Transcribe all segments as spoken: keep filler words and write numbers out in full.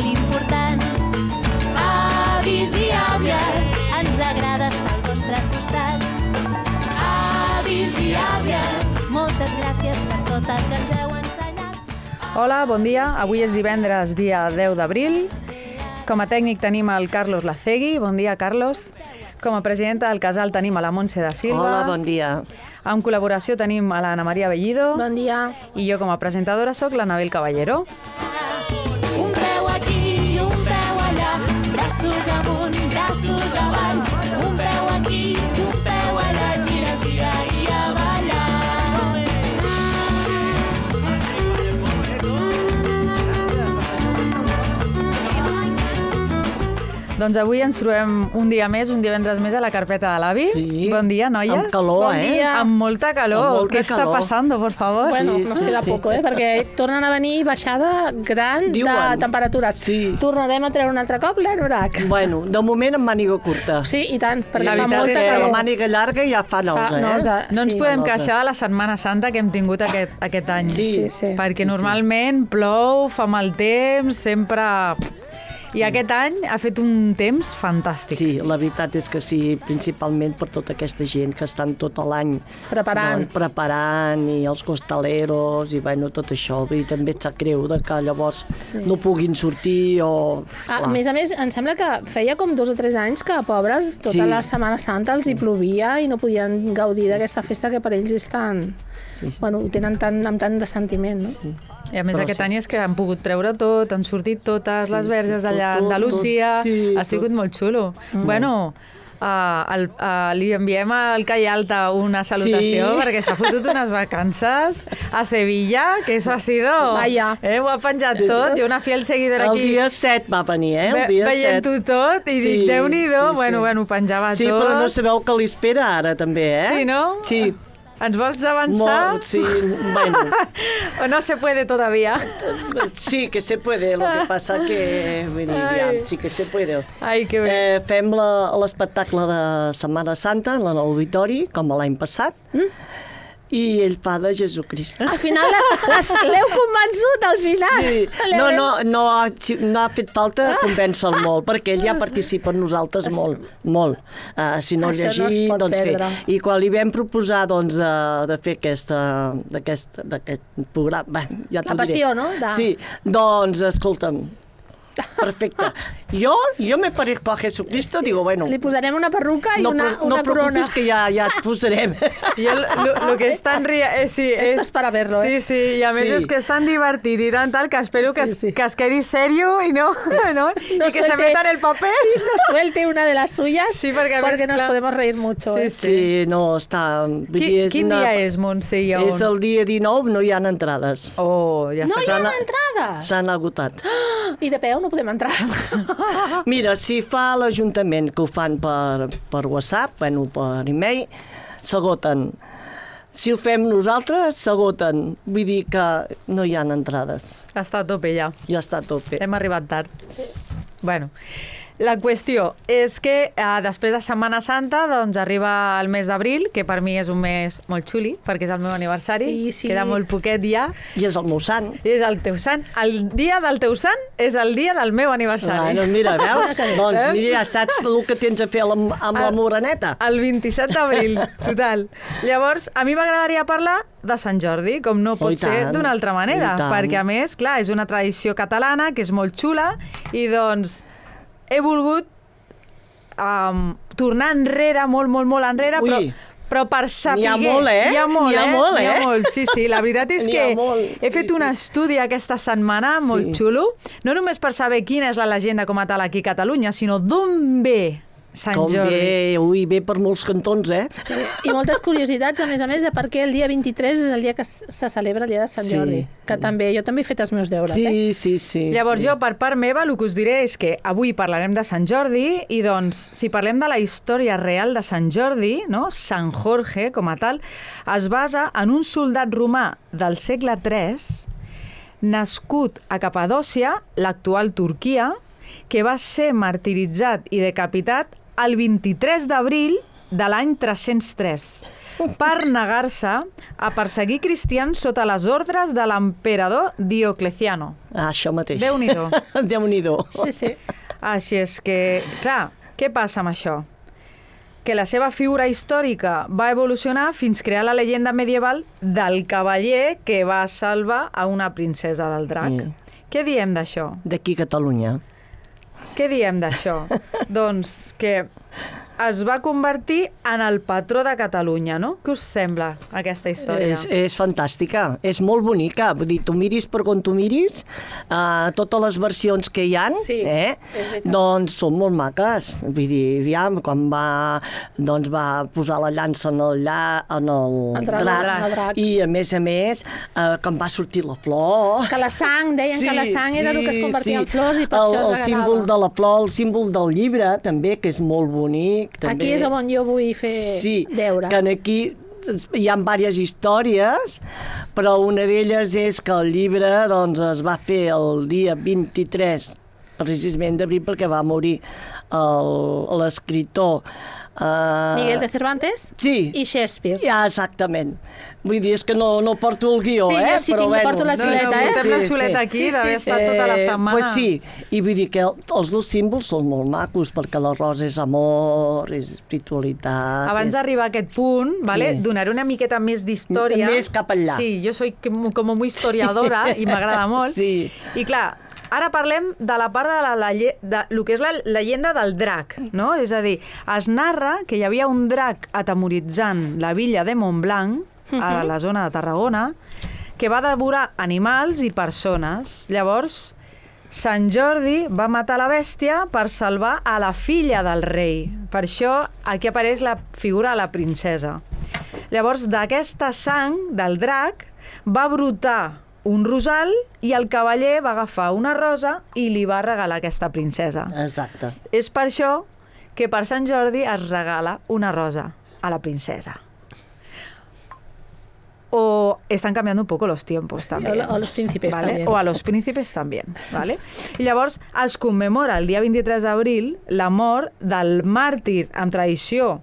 molt importants. Avis i àvies, ens agrada estar al vostre costat. Avis i àvies, moltes gràcies per tot el que ens heu ensenyat. Hola, bon dia. Avui és divendres, dia deu d'abril. Com a tècnic tenim el Carlos Lacegui. Bon dia, Carlos. Com a presidenta del casal tenim a la Montse da Silva. Hola, bon dia. En col·laboració tenim a l'Anna Maria Bellido. Bon dia. I jo com a presentadora sóc l'Anabel Caballero. Un peu aquí, un peu allà, braços amunt, braços avall. Un peu aquí, un peu allà, gira, gira i a ballar. Doncs avui ens trobem un dia més, un divendres més a la carpeta de l'avi. Sí. Bon dia, noies. Amb calor, Bon eh? dia. Amb molta calor. Amb molta Què està calor. passant, por favor? Bueno, Sí, nos sí, queda sí. poco, eh? Perquè tornen a venir baixada gran Diuen. de temperatures. Sí. Tornarem a treure un altre cop l'anorac. Bueno, de moment amb màniga curta. Sí, i tant, perquè La fa veritat molta és que La calor. màniga llarga ja fa nosa, Fa eh? nosa. No ens Sí. podem Nosa. queixar de la Setmana Santa que hem tingut aquest, aquest any. Sí. Sí, sí. Perquè Sí, sí. normalment plou, fa mal temps, sempre... I aquest any ha fet un temps fantàstic. Sí, la veritat és que sí, principalment per tota aquesta gent que estan tot l'any Preparant. doncs, preparant i els costaleros i bueno, tot això. I també et sap greu de que llavors Sí. no puguin sortir o... Ah, a Clar. més a més, em sembla que feia com dos o tres anys que, pobres, tota Sí. la Setmana Santa els hi plovia i no podien gaudir d'aquesta festa que per ells és tan... Sí, sí. Bueno, ho tenen tan, amb tant de sentiment, no? Sí. I a més Però aquest sí. any és que han pogut treure tot, han sortit totes Sí, les verges sí, d'allà tot, tot, d'Andalusia, tot. Sí, ha sigut tot. molt xulo. Bueno, uh, el, uh, li enviem al Cai Alta una salutació Sí. perquè s'ha fotut unes vacances a Sevilla, que eso ha sido... Vaya. Eh, ho ha penjat Sí, sí. tot, i una fiel seguidora El aquí dia set va venir, eh? El ve- dia set. veient-ho tot i Sí, dic, Déu-n'hi-do, sí, sí. bueno, bueno, ho penjava Sí, tot. però no sabeu què li espera ara, també, eh? Sí, no? Sí. Ens vols avançar? Molt, sí, bueno, O no se puede todavía? sí que se puede, lo que pasa que, vull dir, ja, Ai. sí que se puede. Ai, que bé. Eh, fem la- l'espectacle de Setmana Santa en l'auditori, com l'any passat, i ell fa de Jesucrist. Al final la- les- l'heu convençut, al final. Sí. L'heu- No, no, no, ha, no ha fet falta convèncer-lo molt, perquè ell ja participa amb nosaltres molt, molt. Uh, si no Això no es llegir, pot doncs fer. perdre. I quan li vam proposar doncs, de, de fer aquesta, d'aquest, d'aquest programa... Bé, ja La te'l diré. passió, no? De- Sí, doncs, escolta'm, perfecte. Jo, jo me parezco a Jesucristo, sí. Digo, bueno... Li posarem una perruca i no, una, però- una no corona. preocupis que ja, ja et posarem. I el, lo, lo que és tan ria... Eh, sí, Esto es para verlo, sí, eh? sí, i a més Sí. és que és tan divertit i tan tal que espero que, Sí, es, sí. que es quedi serio i no, no, i No que se suelte- meta en el paper. Sí, no suelte una de las suyas, Sí, perquè a més, porque nos clar. podemos reír mucho. Sí, eh? sí. Sí, no, està... vull Qui, dir, és quin una- dia és, Montse? I on? És el dia dinou, no hi ha entrades. Oh, ja No està. hi ha S'han- entrades! S'han agotat. I de peu no podem entrar. Mira, si fa l'Ajuntament que ho fan per, per WhatsApp, bueno, per e-mail, s'agoten. Si ho fem nosaltres, s'agoten. Vull dir que no hi ha entrades. Està a tope ja. Ja està a tope. Hem arribat tard. Bueno, la qüestió és que eh, després de Setmana Santa doncs arriba el mes d'abril, que per mi és un mes molt xuli, perquè és el meu aniversari. Sí, sí. Queda molt poquet ja. I és el meu sant. I és el teu sant. El dia del teu sant és el dia del meu aniversari. Bueno, mira, veus? doncs Eh? mira, ja saps el que tens a fer amb, amb la El- moreneta. El vint-i-set d'abril, total. Llavors, a mi m'agradaria parlar de Sant Jordi, com no Oh, pot i ser tant, d'una altra manera, i tant. perquè a més, clar, és una tradició catalana que és molt xula i doncs he volgut um, tornar enrere, molt, molt, molt enrere, Ui. però però per saber... N'hi ha molt, eh? Hi ha molt, N'hi ha eh? molt, N'hi ha eh? molt, sí, sí. La veritat és N'hi que ha molt, he sí, fet un sí. estudi aquesta setmana molt Sí. xulo, no només per saber quina és la llegenda com a tal aquí a Catalunya, sinó d'on ve Sant Com Jordi. ve, ui, ve per molts cantons, eh? Sí. I moltes curiositats, a més a més, de per què el dia vint-i-tres és el dia que s- se celebra el dia de Sant Sí. Jordi. Que també, jo també he fet els meus deures, eh? Sí, sí, sí. Llavors jo, per part meva, el que us diré és que avui parlarem de Sant Jordi i doncs, si parlem de la història real de Sant Jordi, no? Sant Jorge, com a tal, es basa en un soldat romà del segle tres, nascut a Capadòcia, l'actual Turquia, que va ser martiritzat i decapitat el vint-i-tres d'abril de l'any tres-cents tres. per negar-se a perseguir cristians sota les ordres de l'emperador Diocleciano. Ah, això mateix. Déu-n'hi-do. Déu-n'hi-do. Sí, sí. Així és que, clar, què passa amb això? Que la seva figura històrica va evolucionar fins crear la llegenda medieval del cavaller que va salvar a una princesa del drac. Mm. Què diem d'això? D'aquí a Catalunya. Què diem d'això? Doncs que es va convertir en el patró de Catalunya, no? Què us sembla, aquesta història? És, és fantàstica, és molt bonica. Vull dir, tu miris per on tu miris, uh, totes les versions que hi ha, Sí, eh, doncs són molt maques. Vull dir, aviam, quan va, doncs va posar la llança en el, lla, en el, El drac, drac, el drac. i a més a més, uh, quan va sortir la flor... Que la sang, deien que la sang era el que es convertia en flors i per el, això es el regalava. símbol de la flor, el símbol del llibre, també, que és molt bonic. També. Aquí és on jo vull fer sí, deure. que aquí hi ha diverses històries, però una d'elles és que el llibre doncs, es va fer el dia vint-i-tres precisament d'abril perquè va morir l'escriptor Uh, Miguel de Cervantes sí. i Shakespeare. Ja, exactament. Vull dir, és que no, no porto el guió, Sí, eh? jo sí però tinc, bueno, porto la xuleta, no, no, eh? portem la xuleta aquí, Sí, sí, d'haver sí. estat tota la setmana. Pues sí, i vull dir que el, els dos símbols són molt macos, perquè la rosa és amor, és espiritualitat... Abans és... d'arribar a aquest punt, vale, Sí. donaré una miqueta més d'història. Més cap allà. Sí, jo soy com muy historiadora i m'agrada molt. Sí. I clar, ara parlem de la part de, la, la, de lo que és la llegenda del drac, no? És a dir, es narra que hi havia un drac atemoritzant la villa de Montblanc, a la zona de Tarragona, que va devorar animals i persones. Llavors, Sant Jordi va matar la bèstia per salvar a la filla del rei. Per això aquí apareix la figura de la princesa. Llavors, d'aquesta sang del drac va brotar un rosal i el cavaller va agafar una rosa i li va regalar aquesta princesa. Exacte. És per això que per Sant Jordi es regala una rosa a la princesa. O están cambiando un poco los tiempos también. O los príncipes ¿vale? también. O a los príncipes también, ¿vale? I llavors es commemora el dia vint-i-tres d'abril la mort del màrtir amb tradició,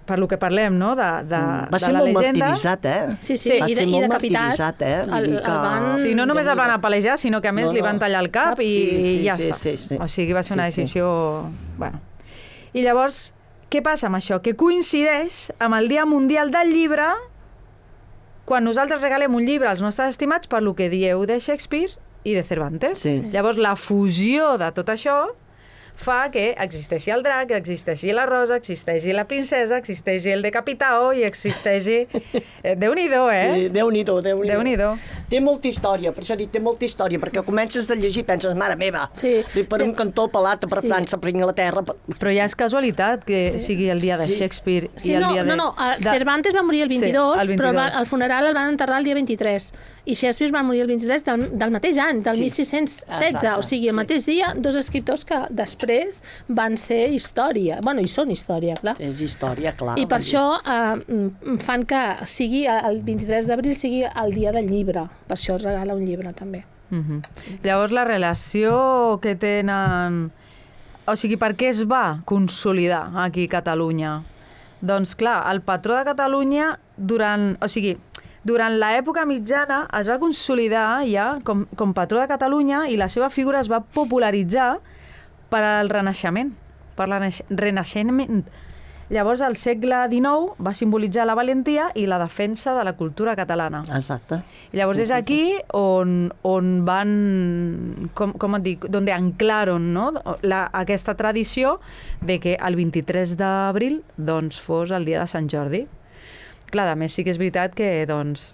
per lo que parlem, no?, de, de, Va de ser la molt llegenda. martiritzat, eh? Sí, sí, Va i, ser de, i molt decapitat. martiritzat, eh? Vull El, dir el que- van... Sí, no només el van Déu-n'hi-do. apalejar, sinó que a més No, li no. van tallar el cap i, Sí, sí, i ja sí, està. sí, sí. O sigui, va ser una Sí, sí. decisió... Bueno. I llavors, què passa amb això? Que coincideix amb el Dia Mundial del Llibre, quan nosaltres regalem un llibre als nostres estimats per lo que dieu de Shakespeare i de Cervantes. Sí. Llavors, la fusió de tot això fa que existeixi el drac, existeixi la rosa, existeixi la princesa, existeixi el decapitao i existeixi... Eh, Déu-n'hi-do, eh? Sí, Déu-n'hi-do, Déu-n'hi-do. Déu-n'hi-do. Té molta història, per això dic, té molta història, perquè comences a llegir i penses, mare meva, Sí. per Sí. un cantó pelat per Sí. França, per Anglaterra... per- Però ja és casualitat que Sí. sigui el dia de Sí. Shakespeare Sí, i el no, dia de... no, no, eh, de... Cervantes va morir el vint-i-dos, Sí, el però va, vint-i-dos. el funeral el van enterrar el dia vint-i-tres. I Shakespeare va morir el vint-i-tres del, del mateix any, del Sí. mil sis-cents setze. Exacte, O sigui, el sí. mateix dia, dos escriptors que després van ser història. Bueno, i són història, clar. És història, clar. I per vull dir. això eh, fan que sigui el vint-i-tres d'abril sigui el dia del llibre. Per això es regala un llibre, també. Mhm. Llavors, la relació que tenen... O sigui, per què es va consolidar aquí a Catalunya? Doncs, clar, el patró de Catalunya, durant... O sigui, durant l'època mitjana es va consolidar ja com, com patró de Catalunya i la seva figura es va popularitzar per al Renaixement, per al Renaixement. Llavors, el segle dinou va simbolitzar la valentia i la defensa de la cultura catalana. Exacte. I llavors és aquí on, on van, com, com et dic, donde anclaron, no? la, aquesta tradició de que el vint-i-tres d'abril doncs, fos el dia de Sant Jordi. Clar, a més sí que és veritat que doncs,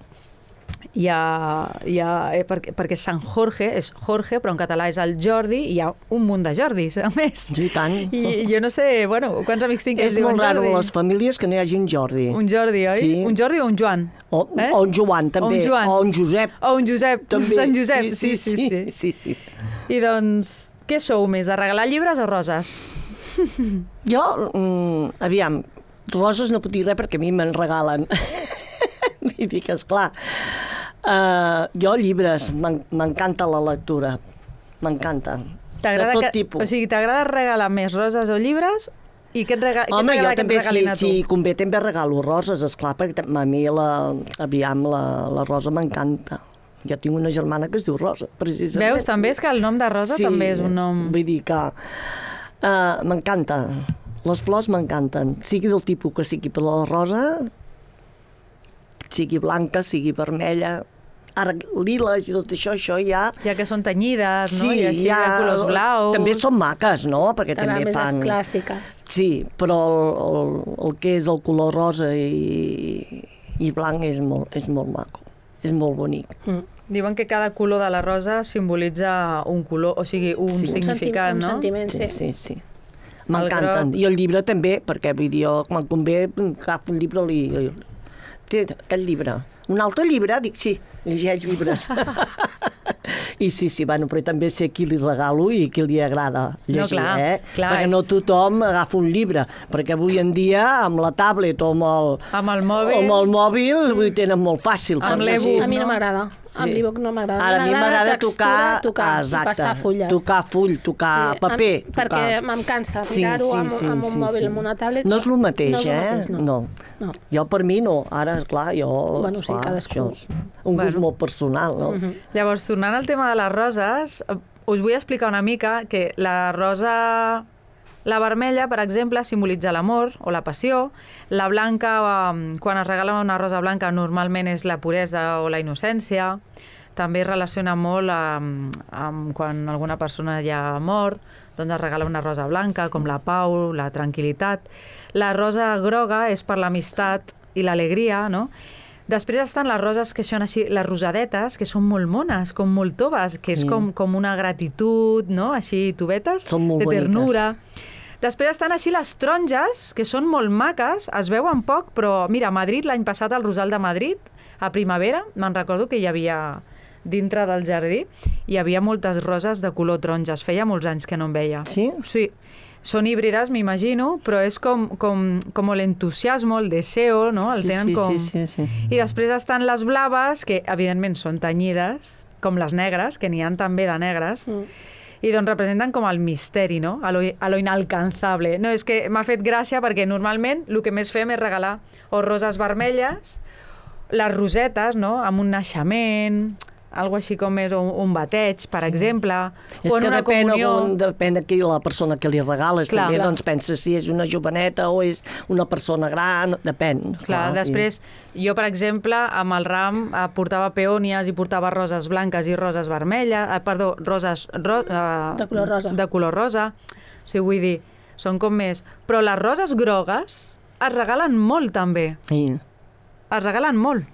hi ha, hi ha eh, perquè, perquè Sant Jorge és Jorge, però en català és el Jordi, i hi ha un munt de Jordis, a més. Sí, i tant. I jo no sé, bueno, quants amics tinc que És es diuen molt raro Jordi? a les famílies que no hi hagi un Jordi. Un Jordi, oi? Sí. Un Jordi o un Joan? O, Eh? o un Joan, també. O un Joan. O un Josep. O un Josep, També. Sant Josep. Sí, sí, sí. sí, sí. I doncs, què sou més, de regalar llibres o roses? Jo, mm, aviam, roses no puc dir res perquè a mi me'n regalen. I dic, esclar, uh, jo llibres, m'en- m'encanta la lectura, m'encanta. De T'agrada tot que, tipus. o sigui, t'agrada regalar més roses o llibres I què et rega... Home, què jo que et també, si, regalin a tu? si convé, també regalo roses, esclar, perquè a mi, la, aviam, la, la rosa m'encanta. Jo tinc una germana que es diu Rosa, precisament. Veus, també és que el nom de Rosa sí, també és un nom... vull dir que uh, m'encanta. Les flors m'encanten. Sigui del tipus que sigui per la rosa, sigui blanca, sigui vermella, ara lila i tot això, això ja... Ja que són tenyides, no? Sí, I així ja, de colors blaus... també són maques, no? Perquè Ara també més fan... les clàssiques. Sí, però el, el, el que és el color rosa i, i blanc és molt, és molt maco, és molt bonic. Mm. Diuen que cada color de la rosa simbolitza un color, o sigui, un Sí. significat, un no? sentiment, Sí, sí. sí, sí. M'encanten. groc. I el llibre també, perquè vull dir, jo quan convé agafo un llibre li... Té aquest llibre. Un altre llibre? Dic, sí, llegeix llibres. I sí, sí, bueno, però també sé qui li regalo i qui li agrada llegir, No, clar, eh? clar, perquè és- no tothom agafa un llibre, perquè avui en dia amb la tablet o amb el, Amb el mòbil... o amb el mòbil vull dir, tenen molt fàcil. Amb per l'e-book, llegir. A mi no no? m'agrada. Sí. Amb l'e-book no m'agrada. Ara, a mi m'agrada tocar, tocar i exacte, passar fulles. tocar full, tocar Sí, paper. Em, perquè tocar... em cansa Sí, mirar-ho sí, amb, sí, amb un sí, mòbil, sí. amb una tablet. No és el mateix, no és el eh? mateix, no. no. No. Jo per mi no, ara, clar, jo... Bueno, sí, clar, cadascú. això és un gust Bueno. molt personal, no? Mhm. Llavors, tornant al tema de les roses, eh, us vull explicar una mica que la rosa... La vermella, per exemple, simbolitza l'amor o la passió. La blanca, eh, quan es regala una rosa blanca, normalment és la puresa o la innocència. També es relaciona molt amb, amb quan alguna persona ja ha mort, doncs es regala una rosa blanca, com la pau, la tranquil·litat. La rosa groga és per l'amistat i l'alegria, no? Després estan les roses que són així, les rosadetes, que són molt mones, com molt toves, que és Sí. com, com una gratitud, no? Així, tovetes, Són molt de boniques. ternura. Després estan així les taronges, que són molt maques, es veuen poc, però mira, a Madrid, l'any passat, al Rosal de Madrid, a primavera, me'n recordo que hi havia dintre del jardí, hi havia moltes roses de color taronges. Feia molts anys que no en veia. Sí? Sí. Són híbrides, m'imagino, però és com, com, com l'entusiasmo, el deseo, no? El Sí, tenen sí, com... sí, sí, sí. I després estan les blaves, que evidentment són tenyides, com les negres, que n'hi ha també de negres, Mm. i doncs representen com el misteri, no? A lo, a lo inalcanzable. No, és que m'ha fet gràcia perquè normalment el que més fem és regalar o roses vermelles, les rosetes, no? Amb un naixement, algo així com és un, un bateig, per sí. exemple, És o en que una depèn, comunió. on, depèn de qui la persona que li regales, Clar, també, clar. doncs pensa si és una joveneta o és una persona gran, depèn. Clar, després, jo, per exemple, amb el ram eh, portava peònies i portava roses blanques i roses vermelles, eh, perdó, roses... Ro, eh, De color rosa. De color rosa. O sigui, vull dir, són com més... Però les roses grogues es regalen molt, també. I, Es regalen molt.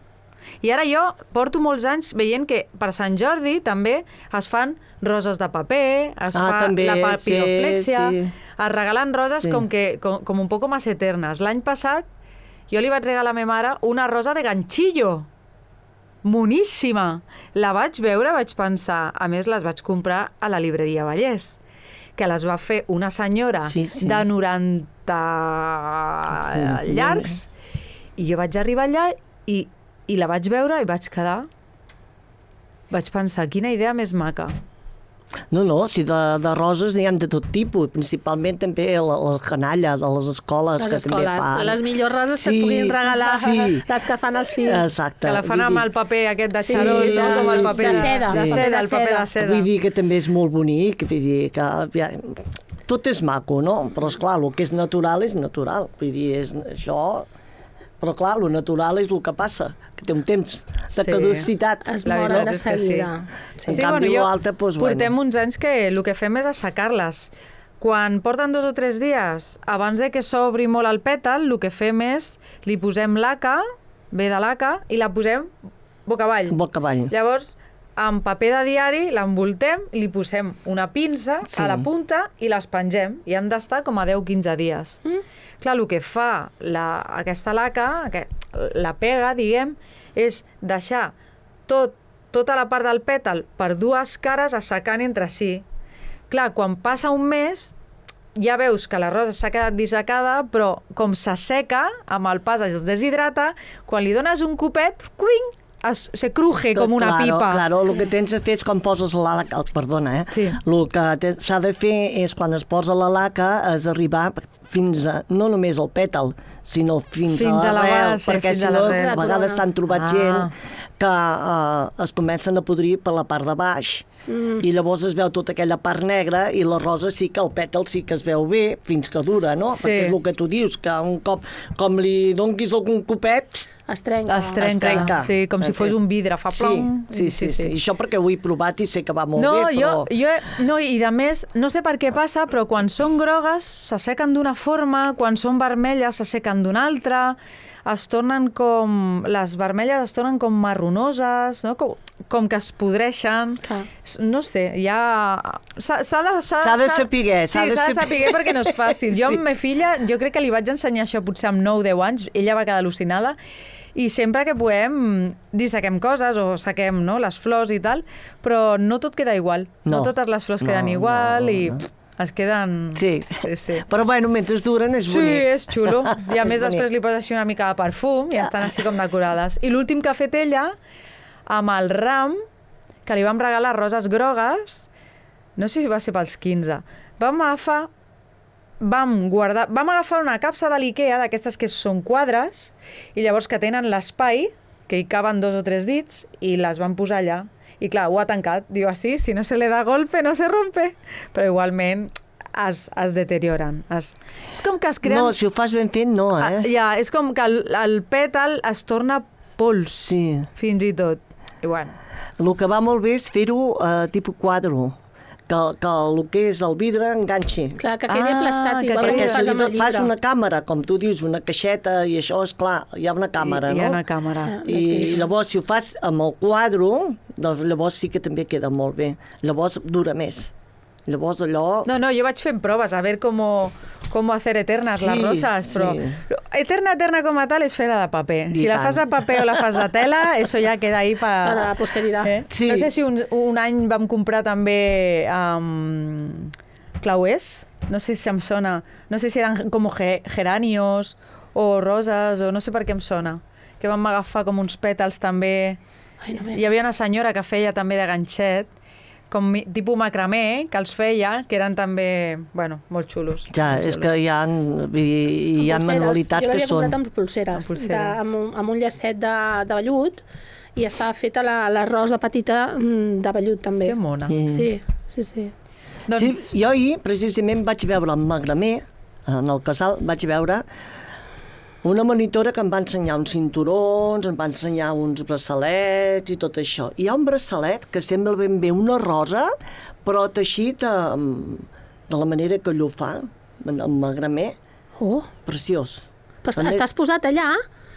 I ara jo porto molts anys veient que per Sant Jordi també es fan roses de paper, es Ah, fa també, la papiroflexia, sí, sí. es regalen roses Sí. com, que, com, com un poco más eternes. L'any passat jo li vaig regalar a ma mare una rosa de ganchillo, moníssima. La vaig veure, vaig pensar, a més les vaig comprar a la libreria Vallès, que les va fer una senyora Sí, sí. de noranta Sí, llargs, i jo vaig arribar allà i, i la vaig veure i vaig quedar... Vaig pensar, quina idea més maca. No, no, si de, de roses n'hi ha de tot tipus, principalment també la, la canalla de les escoles Les que també escoles, fan. les millors roses que Sí, et puguin regalar, sí. les que fan els fills. Exacte. Que la fan Vull amb dir- el paper aquest de Sí, xarol, no? Com el paper de seda, de sí. seda, el paper de seda. seda. Vull dir que també és molt bonic, vull dir que ja, tot és maco, no? Però, esclar, el que és natural és natural. Vull dir, és això... Però, clar, el natural és el que passa, que té un temps de Sí. caducitat. Es La moren veritat de és que sí. seguida. Sí. En canvi, jo- l'altre, doncs, portem bueno. uns anys que el que fem és assecar-les. Quan porten dos o tres dies, abans de que s'obri molt el pètal, el que fem és, li posem laca, ve de laca, i la posem boca avall. Boca avall. Llavors, amb paper de diari l'envoltem, li posem una pinça Sí. a la punta i les pengem. I han d'estar com a deu a quinze dies. Mm. Clar, el que fa la, aquesta laca, aquest, la pega, diguem, és deixar tot, tota la part del pètal per dues cares assecant entre si. Clar, quan passa un mes, ja veus que la rosa s'ha quedat dissecada, però com s'asseca, amb el pas es deshidrata, quan li dones un copet, cruing, es, se cruje com una claro, pipa. Claro, el que tens de fer és quan poses la laca... Perdona, eh? Sí. El que s'ha de fer és quan es posa la laca és arribar fins a, no només al pètal, sinó fins, Fins a a la l'arrel, base, perquè fins si a no, l'arrel. a vegades s'han trobat Ah. gent que eh, es comencen a podrir per la part de baix. Mm. I llavors es veu tota aquella part negra i la rosa sí que el pètal sí que es veu bé fins que dura, no? Sí. Perquè és el que tu dius, que un cop, com li donquis algun copet, Es trenca. Es trenca, es trenca. sí, com si fos un vidre, fa plom. Sí, sí, sí, sí. I això perquè ho he provat i sé que va molt No, bé, però... jo, jo, no, i de més, no sé per què passa, però quan són grogues s'assequen d'una forma, quan són vermelles s'assequen d'una altra, es tornen com... Les vermelles es tornen com marronoses, no? com, com que es podreixen. Clar. No sé, ja... S'ha s'ha de, S'ha de saber, Sí, s'ha de s'ha de saber. saber perquè no és fàcil. Jo Sí. amb ma filla, jo crec que li vaig ensenyar això potser amb nou deu anys, ella va quedar al·lucinada, i sempre que podem dissequem coses o saquem, no, les flors i tal, però no tot queda igual. No, No. totes les flors No, queden igual no, i no. pff, es queden... Sí. sí, sí. Però bueno, mentre duren és Sí, bonic. és xulo. I a És més bonic. després li poses així una mica de perfum i estan així com decorades. I l'últim que ha fet ella, amb el ram, que li vam regalar roses grogues, no sé si va ser pels quinze, vam agafar vam guardar, vam agafar una capsa de l'Ikea, d'aquestes que són quadres, i llavors que tenen l'espai, que hi caben dos o tres dits, i les van posar allà. I clar, ho ha tancat. Diu, així, si no se le da golpe, no se rompe. Però igualment es, es deterioren. Es... És com que es creen... No, si ho fas ben fet, no, Ah, eh? ja, és com que el, el pètal es torna pols, Sí. fins i tot. I bueno, El que va molt bé és fer-ho eh, tipus quadro, que, que el que és el vidre enganxi. Clar, que quedi Ah, aplastat, que igual quedi- que Perquè fas si amb li el fas llibre. una càmera, com tu dius, una caixeta, i això, és clar, hi ha una càmera, hi, hi no? ha una càmera. Ah. I, I llavors, si ho fas amb el quadro, doncs llavors sí que també queda molt bé. Llavors dura més. Llavors allò... No, no, jo vaig fent proves a veure com, com hacer eternas Sí, les rosas, però sí. eterna, eterna com a tal és fer-la de paper. I Si la tant. fas de paper o la fas de tela, eso ja queda ahí Para para... la posteridad. Eh? Sí. No sé si un, un any vam comprar també um, clauers, no sé si em sona, no sé si eren com ge geranios o roses, o no sé per què em sona, que vam agafar com uns pètals també. Ai, no me... Hi havia una senyora que feia també de ganxet, com mi- tipus macramé, que els feia, que eren també, bueno, molt xulos. Ja, molt és xulos. que hi ha, hi, hi ha Amb pulseres. manualitats Jo que l'havia són... comprat amb pulseres, Amb pulseres. De, amb, un, amb un llacet de, de vellut, i estava feta la, la rosa petita mm, de vellut també. Que mona. Sí. Sí, sí, sí. Doncs, Sí, jo ahir, precisament, vaig veure el Magramé, en el casal, vaig veure una monitora que em va ensenyar uns cinturons, em va ensenyar uns braçalets i tot això. Hi ha un braçalet que sembla ben bé una rosa, però teixit amb, de la manera que ell ho fa, el Magramé, Oh, preciós. però A més- estàs posat allà?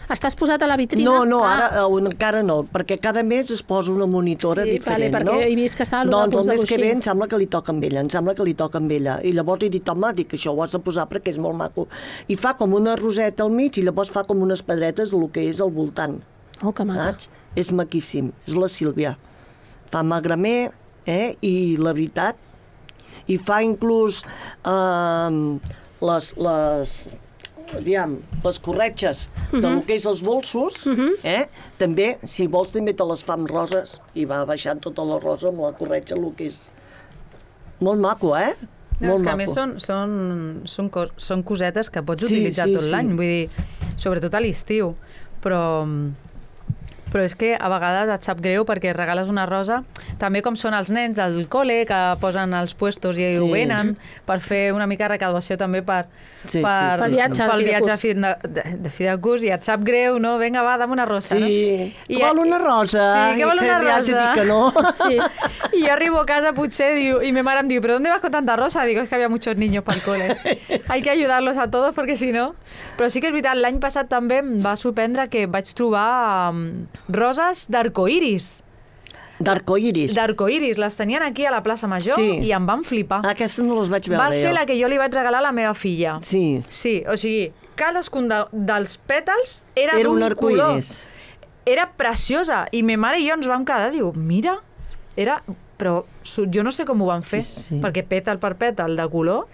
Estàs posat a la vitrina? No, no, Ah. ara eh, encara no, perquè cada mes es posa una monitora Sí, diferent, vale, no? perquè he vist que estava allò doncs de el mes que Punts de ve Coixí. em sembla que li toca amb ella, em sembla que li toca amb ella. I llavors he dit, home, dic, això ho has de posar perquè és molt maco. I fa com una roseta al mig i llavors fa com unes pedretes del que és al voltant. Oh, que maca. Saps? És maquíssim, és la Sílvia. Fa magramé, eh? I la veritat, i fa inclús eh, les, les, aviam, les corretges uh -huh. del que és els bolsos, uh -huh. eh? També, si vols, també te les fa amb roses i va baixant tota la rosa amb la corretja, el que és molt maco, eh? no, molt és que a maco. més són, són, són, cos, són cosetes que pots Sí, utilitzar sí, tot sí. l'any, vull dir, sobretot a l'estiu, però, però és que a vegades et sap greu perquè regales una rosa, també com són els nens del col·le que posen els puestos i Sí. ho venen per fer una mica de recaudació també per, Sí, sí, per, sí, Pel viatge de pel fi de viatge curs. a fi de, de, de fi de curs i et sap greu, no? Vinga, va, dame una rosa, no? Sí, I- que vol una rosa. Sí, que vol I una li has de rosa. dir que no. Sí. Y yo arribo a casa, potser, diu, y mi madre me dice, ¿pero dónde vas con tanta rosa? Digo, es que había muchos niños para el cole. Hay que ayudarlos a todos perquè si no... Però sí que és veritat, l'any passat també em va sorprendre que vaig trobar um, roses d'arcoiris. D'arcoiris. D'arcoiris. Les tenien aquí a la plaça Major Sí. i em van flipar. Aquestes no les vaig veure Va ser jo. la que jo li vaig regalar a la meva filla. Sí, Sí, o sigui, cadascun de, dels pètals era, era un d'un color. arcoiris. Era preciosa. I ma mare i jo ens vam quedar, diu, mira, era... Però su- jo no sé com ho van fer, Sí, sí. perquè pètal per pètal de color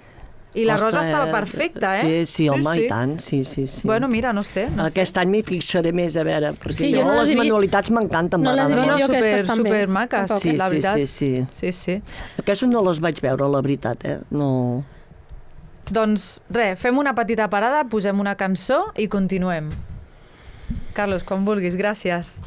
I la Costa, rosa estava eh? perfecta, eh? Sí, sí, home, i tant, sí, sí, sí. Bueno, mira, no sé. No Aquest sé. any m'hi fixaré més, a veure, perquè Sí, sí, jo no les les he vist. manualitats m'encanten, No les he m'agraden. No, no, jo super, aquestes també. super maques, Tampoc. Sí, la sí, veritat. sí, sí. Sí, sí. Aquestes no les vaig veure, la veritat, eh? No... Doncs res, fem una petita parada, posem una cançó i continuem. Carlos, quan vulguis, gràcies.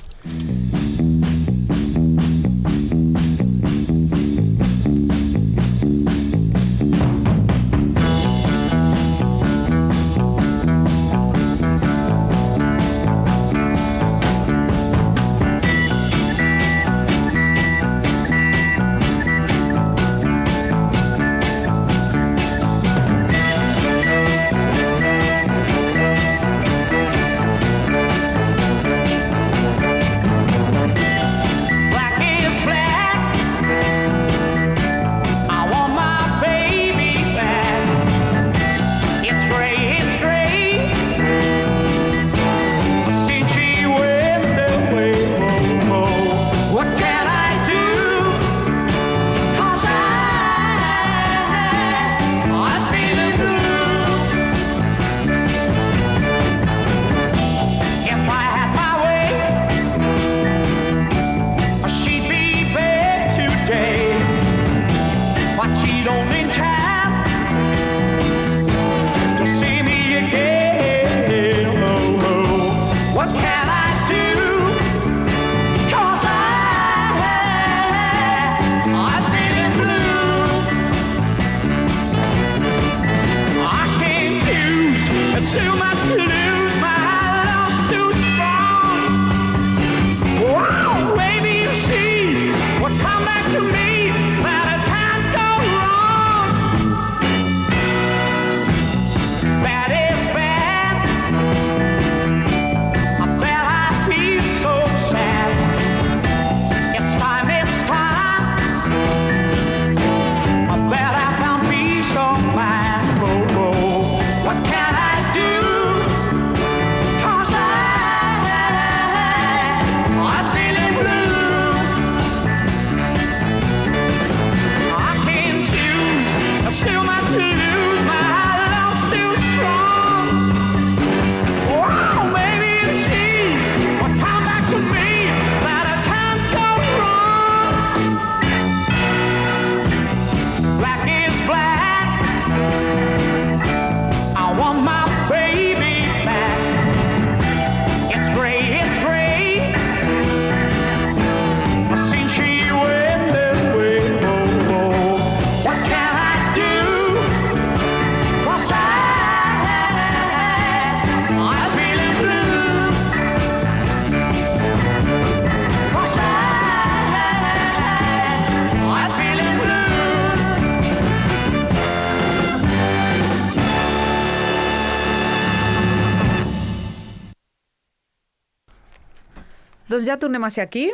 Doncs ja tornem a ser aquí,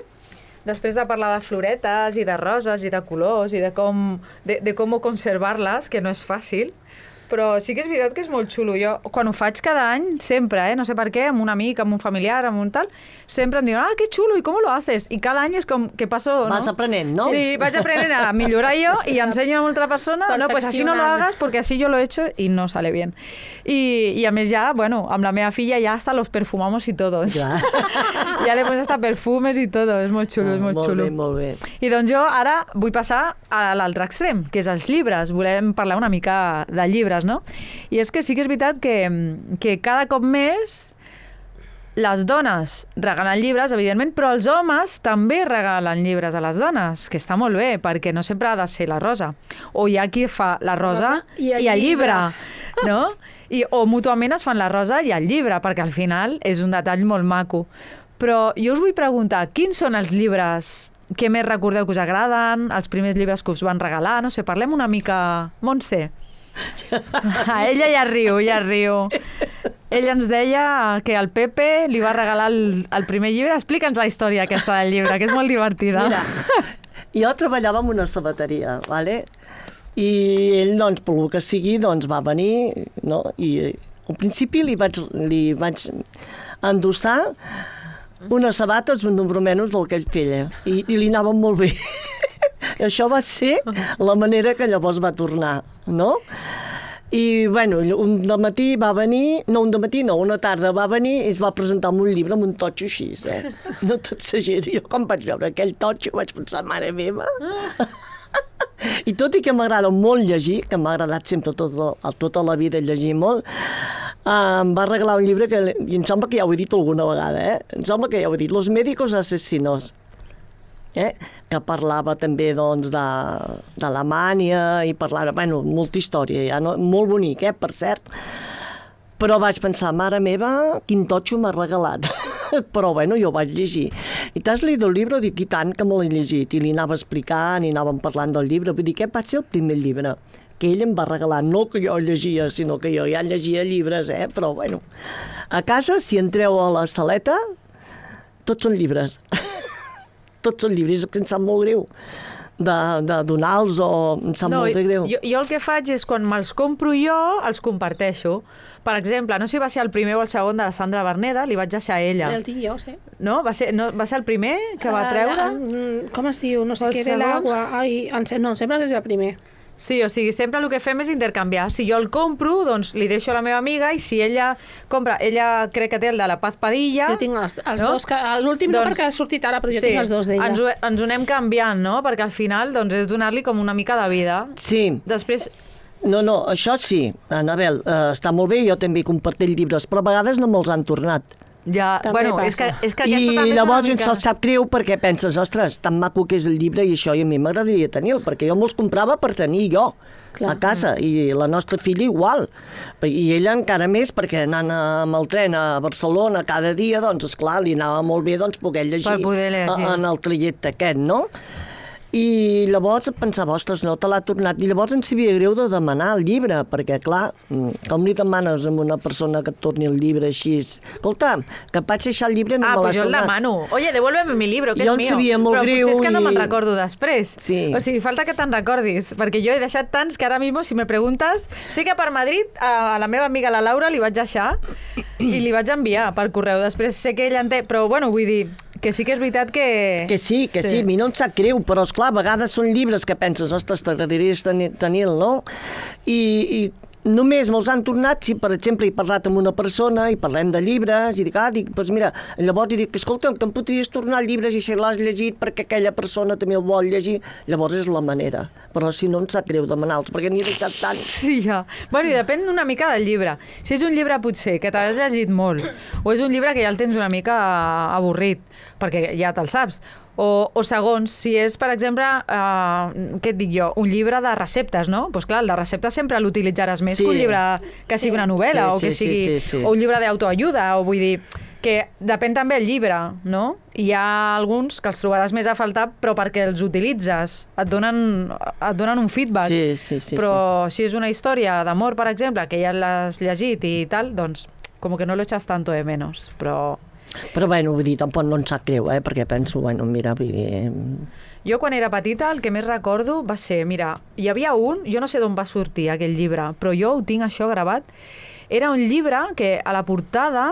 després de parlar de floretes i de roses i de colors i de com, de, de com conservar-les, que no és fàcil, però sí que és veritat que és molt xulo. Jo, quan ho faig cada any, sempre, eh, no sé per què, amb un amic, amb un familiar, amb un tal, sempre em diuen, ah, que xulo, i com lo haces? I cada any és com que passo... Vas ¿no? aprenent, ¿no? Sí, vaig aprenent a millorar yo y enseño a otra persona, no, pues así no lo hagas porque así yo lo he hecho y no sale bien. I, i a més ja, bueno, amb la meva filla ja hasta los perfumamos y todo. Ja, Ja le pones hasta perfumes i tot, és molt xulo, és molt, molt xulo. bé, molt bé. I doncs jo ara vull passar a l'altre extrem, que és els llibres. Volem parlar una mica de llibres, no? I és que sí que és veritat que, que cada cop més les dones regalen llibres, evidentment, però els homes també regalen llibres a les dones, que està molt bé, perquè no sempre ha de ser la rosa. O hi ha qui fa la rosa i el, i el llibre, llibre, no? I, o mútuament es fan la rosa i el llibre, perquè al final és un detall molt maco. Però jo us vull preguntar, quins són els llibres que més recordeu que us agraden, els primers llibres que us van regalar? No sé, parlem una mica... Montse. Ah, ella ja riu, ja riu. Ell ens deia que el Pepe li va regalar el, el primer llibre. Explica'ns la història aquesta del llibre, que és molt divertida. Mira, jo treballava en una sabateria, ¿vale? I ell, doncs, pel que sigui, doncs, va venir, no? I al principi li vaig, li vaig endossar unes sabates, un número menys del que ell feia, i, i li anaven molt bé. I això va ser la manera que llavors va tornar, no? I, bueno, un dematí va venir, no, un dematí no, una tarda va venir i es va presentar amb un llibre amb un totxo així, eh? No tot s'agir. Jo quan vaig veure aquell totxo vaig pensar, mare meva... I tot i que m'agrada molt llegir, que m'ha agradat sempre tota, tota la vida llegir molt, Uh, em va regalar un llibre que i em sembla que ja ho he dit alguna vegada, eh? Em sembla que ja ho he dit, Los médicos asesinos, eh? Que parlava també doncs, de, d'Alemanya i parlava, bueno, molta història, ja, no? Molt bonic, eh? Per cert. Però vaig pensar, mare meva, quin totxo m'ha regalat. Però, bueno, jo ho vaig llegir. I t'has leído el llibre? Dic, i tant que me l'he llegit. I li anava explicant, i anàvem parlant del llibre. Vull dir, aquest va ser el primer llibre que ell em va regalar. No que jo llegia, sinó que jo ja llegia llibres, eh? Però, bueno, a casa, si entreu a la saleta, tots són llibres. Tots són llibres, que em sap molt greu de, de donar-los o em sap no, molt greu. Jo, jo el que faig és, quan me'ls compro jo, els comparteixo. Per exemple, no sé si va ser el primer o el segon de la Sandra Berneda, li vaig deixar a ella. El tinc jo, sí. No? Va ser, no, va ser el primer que va treure? Uh, com es diu? No sé què de l'aigua. Ai, no, sempre és el primer. Sí, o sigui, sempre el que fem és intercanviar. Si jo el compro, doncs li deixo a la meva amiga, i si ella compra, ella crec que té el de la Paz Padilla... Jo tinc els, els no? dos, que, l'últim doncs, no perquè ha sortit ara, però jo sí, tinc els dos d'ella. Ens ho, ens ho anem canviant, no? Perquè al final doncs, és donar-li com una mica de vida. Sí. Després... No, no, això sí, Anabel, eh, està molt bé, jo també comparteix llibres, però a vegades no me'ls han tornat. Ja, també bueno, és que, és que aquesta I també llavors és ens mica... sap greu perquè penses, ostres, tan maco que és el llibre i això, i a mi m'agradaria tenir-lo, perquè jo me'ls comprava per tenir jo. Clar. A casa, i la nostra filla igual. I ella encara més, perquè anant amb el tren a Barcelona cada dia, doncs, esclar, li anava molt bé doncs, poder llegir, per poder llegir. en el trajecte aquest, no? I llavors pensava, ostres, no te l'ha tornat. I llavors em sabia greu de demanar el llibre, perquè, clar, com li demanes a una persona que et torni el llibre així? Escolta, que et vaig deixar el llibre i no ah, me l'has tornat. Ah, pues jo el demano. Oye, devuélveme mi libro, que jo és mío. Jo em sabia molt Però greu. Però potser és que no i... me'n recordo després. Sí. O sigui, falta que te'n recordis, perquè jo he deixat tants que ara mismo, si me preguntes... Sé que per Madrid, a la meva amiga la Laura li vaig deixar i li vaig enviar per correu. Després sé que ella en té... Però, bueno, vull dir... Que sí que és veritat que... Que sí, que sí, sí. A mi no em sap greu, però, esclar, a vegades són llibres que penses, ostres, t'agradaria tenir-lo, no? I, i només me'ls han tornat si, per exemple, he parlat amb una persona i parlem de llibres i dic, ah, dic, doncs mira, llavors dic, escolta, que em podries tornar llibres i si l'has llegit perquè aquella persona també el vol llegir, llavors és la manera. Però si no em sap greu demanar-los, perquè n'hi he deixat tant. Sí, ja. Bueno, i depèn una mica del llibre. Si és un llibre potser que t'has llegit molt, o és un llibre que ja el tens una mica avorrit, perquè ja te'l saps, O, o segons, si és, per exemple, eh, què et dic jo, un llibre de receptes, no? Doncs pues clar, el de receptes sempre l'utilitzaràs més sí. que un llibre que sigui una novel·la sí, o que sí, sigui sí, sí, sí. o un llibre d'autoajuda, o vull dir que depèn també el llibre, no? Hi ha alguns que els trobaràs més a faltar, però perquè els utilitzes, et donen, et donen un feedback. Sí, sí, sí, però sí. si és una història d'amor, per exemple, que ja l'has llegit i tal, doncs com que no lo echas tanto de menos, però... Però, bueno, vull dir, tampoc no em sap greu, eh? Perquè penso, bueno, mira, vull dir... Jo, quan era petita, el que més recordo va ser, mira, hi havia un, jo no sé d'on va sortir aquell llibre, però jo ho tinc això gravat, era un llibre que a la portada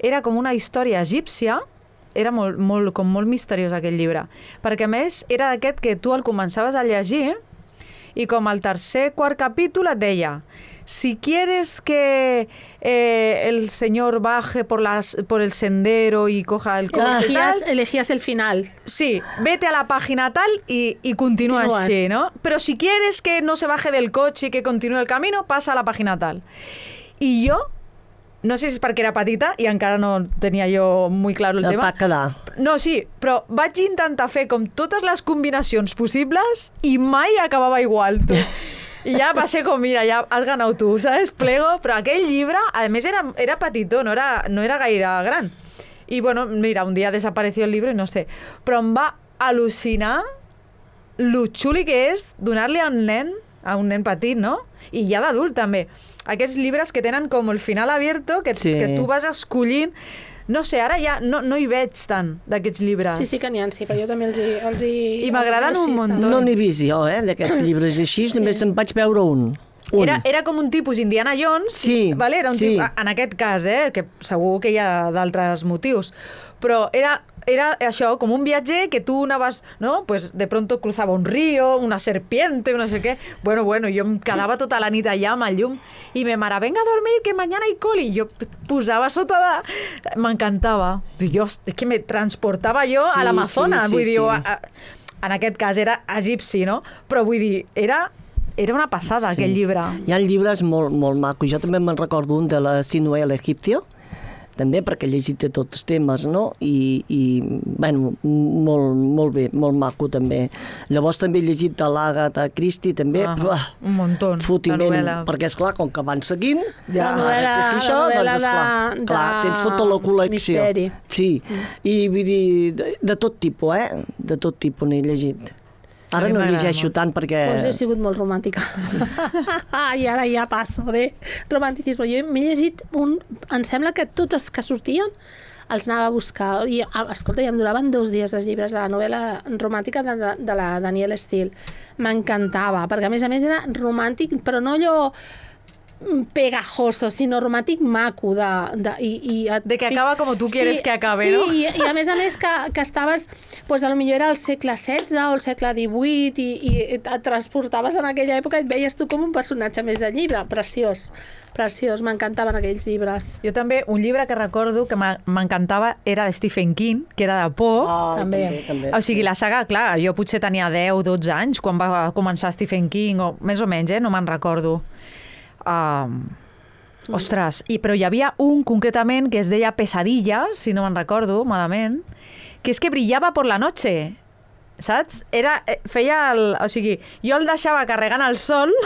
era com una història egípcia, era molt, molt, com molt misteriós aquell llibre, perquè a més era d'aquest que tu el començaves a llegir i com al tercer, quart capítol et deia si quieres que eh, el señor baje por, las, por el sendero y coja el coche elegías, y tal... Elegías el final. Sí, vete a la página tal y, y continúa Continúas. así, ¿no? Pero si quieres que no se baje del coche y que continúe el camino, pasa a la página tal. I jo, no sé si és perquè era petita i encara no tenia jo molt clar el no tema. Va quedar. No, sí, però vaig intentar fer com totes les combinacions possibles i mai acabava igual, tu. I ja va ser com, mira, ja has ganat tu, saps? Plego, però aquell llibre, a més, era, era petitó, no era, no era gaire gran. I, bueno, mira, un dia desapareció el llibre i no sé. Però em va al·lucinar lo xuli que és donar-li a un nen, a un nen petit, no? I ja d'adult, també. Aquests llibres que tenen com el final abierto, que, sí. que tu vas escollint. No sé, ara ja no, no hi veig tant d'aquests llibres. Sí, sí que n'hi ha, sí, però jo també els hi... Els hi I m'agraden un munt. No n'he vist jo, eh, d'aquests llibres així, sí. Només em vaig veure un. un. Era, era com un tipus Indiana Jones, sí, vale? Era un sí. tipus, en aquest cas, eh, que segur que hi ha d'altres motius, però era era això, com un viatger que tu anaves, no? Pues de pronto cruzava un río, una serpiente, no sé què. Bueno, bueno, jo em quedava tota la nit allà amb el llum i me mare, venga a dormir, que mañana hay coli. I jo posava sota de... M'encantava. Jo, és que me transportava jo sí, a l'Amazones. Sí, sí, vull dir, sí. a, a, en aquest cas era egipci, no? Però vull dir, era... Era una passada, sí, aquell llibre. Hi ha llibres molt, molt macos. Jo també me'n recordo un de la Sinué l'Egipcio, també perquè he llegit de tots els temes, no? I, i bueno, molt, molt bé, molt maco també. Llavors també he llegit de l'Agatha Christie, també. Ah, Uah, un muntó, la novel·la. Perquè, esclar, com que van seguint... Ja, la novel·la, si això, la novel·la doncs, esclar, de, clar, tens tota la col·lecció. Misteri. Sí, i vull dir, de, de tot tipus, eh? De tot tipus n'he llegit. Ara no llegeixo tant perquè... Pues he sigut molt romàntica. Sí. I ara ja passo de romanticisme. Jo m'he llegit un... Em sembla que tots els que sortien els anava a buscar. I, escolta, ja em duraven dos dies els llibres de la novel·la romàntica de, de, de la Danielle Steele. M'encantava, perquè a més a més era romàntic, però no allò pegajoso, sinó romàntic maco de, de, i, i et, de que acaba com tu sí, quieres que acabe, sí, no? Sí, i, i a més a més que, que estaves, pues, a lo millor era el segle setze o el segle divuit i, i et transportaves en aquella època i et veies tu com un personatge més del llibre. Preciós, preciós, m'encantaven aquells llibres. Jo també, un llibre que recordo que m'encantava era de Stephen King, que era de por. Oh, també. també, també. O sigui, la saga, clar, jo potser tenia deu, dotze anys quan va començar Stephen King, o més o menys, eh? No me'n recordo. Um, ostres, i, però hi havia un concretament que es deia Pesadillas, si no me'n recordo malament, que és que brillava per la noche, saps? Era, feia el... O sigui, jo el deixava carregant el sol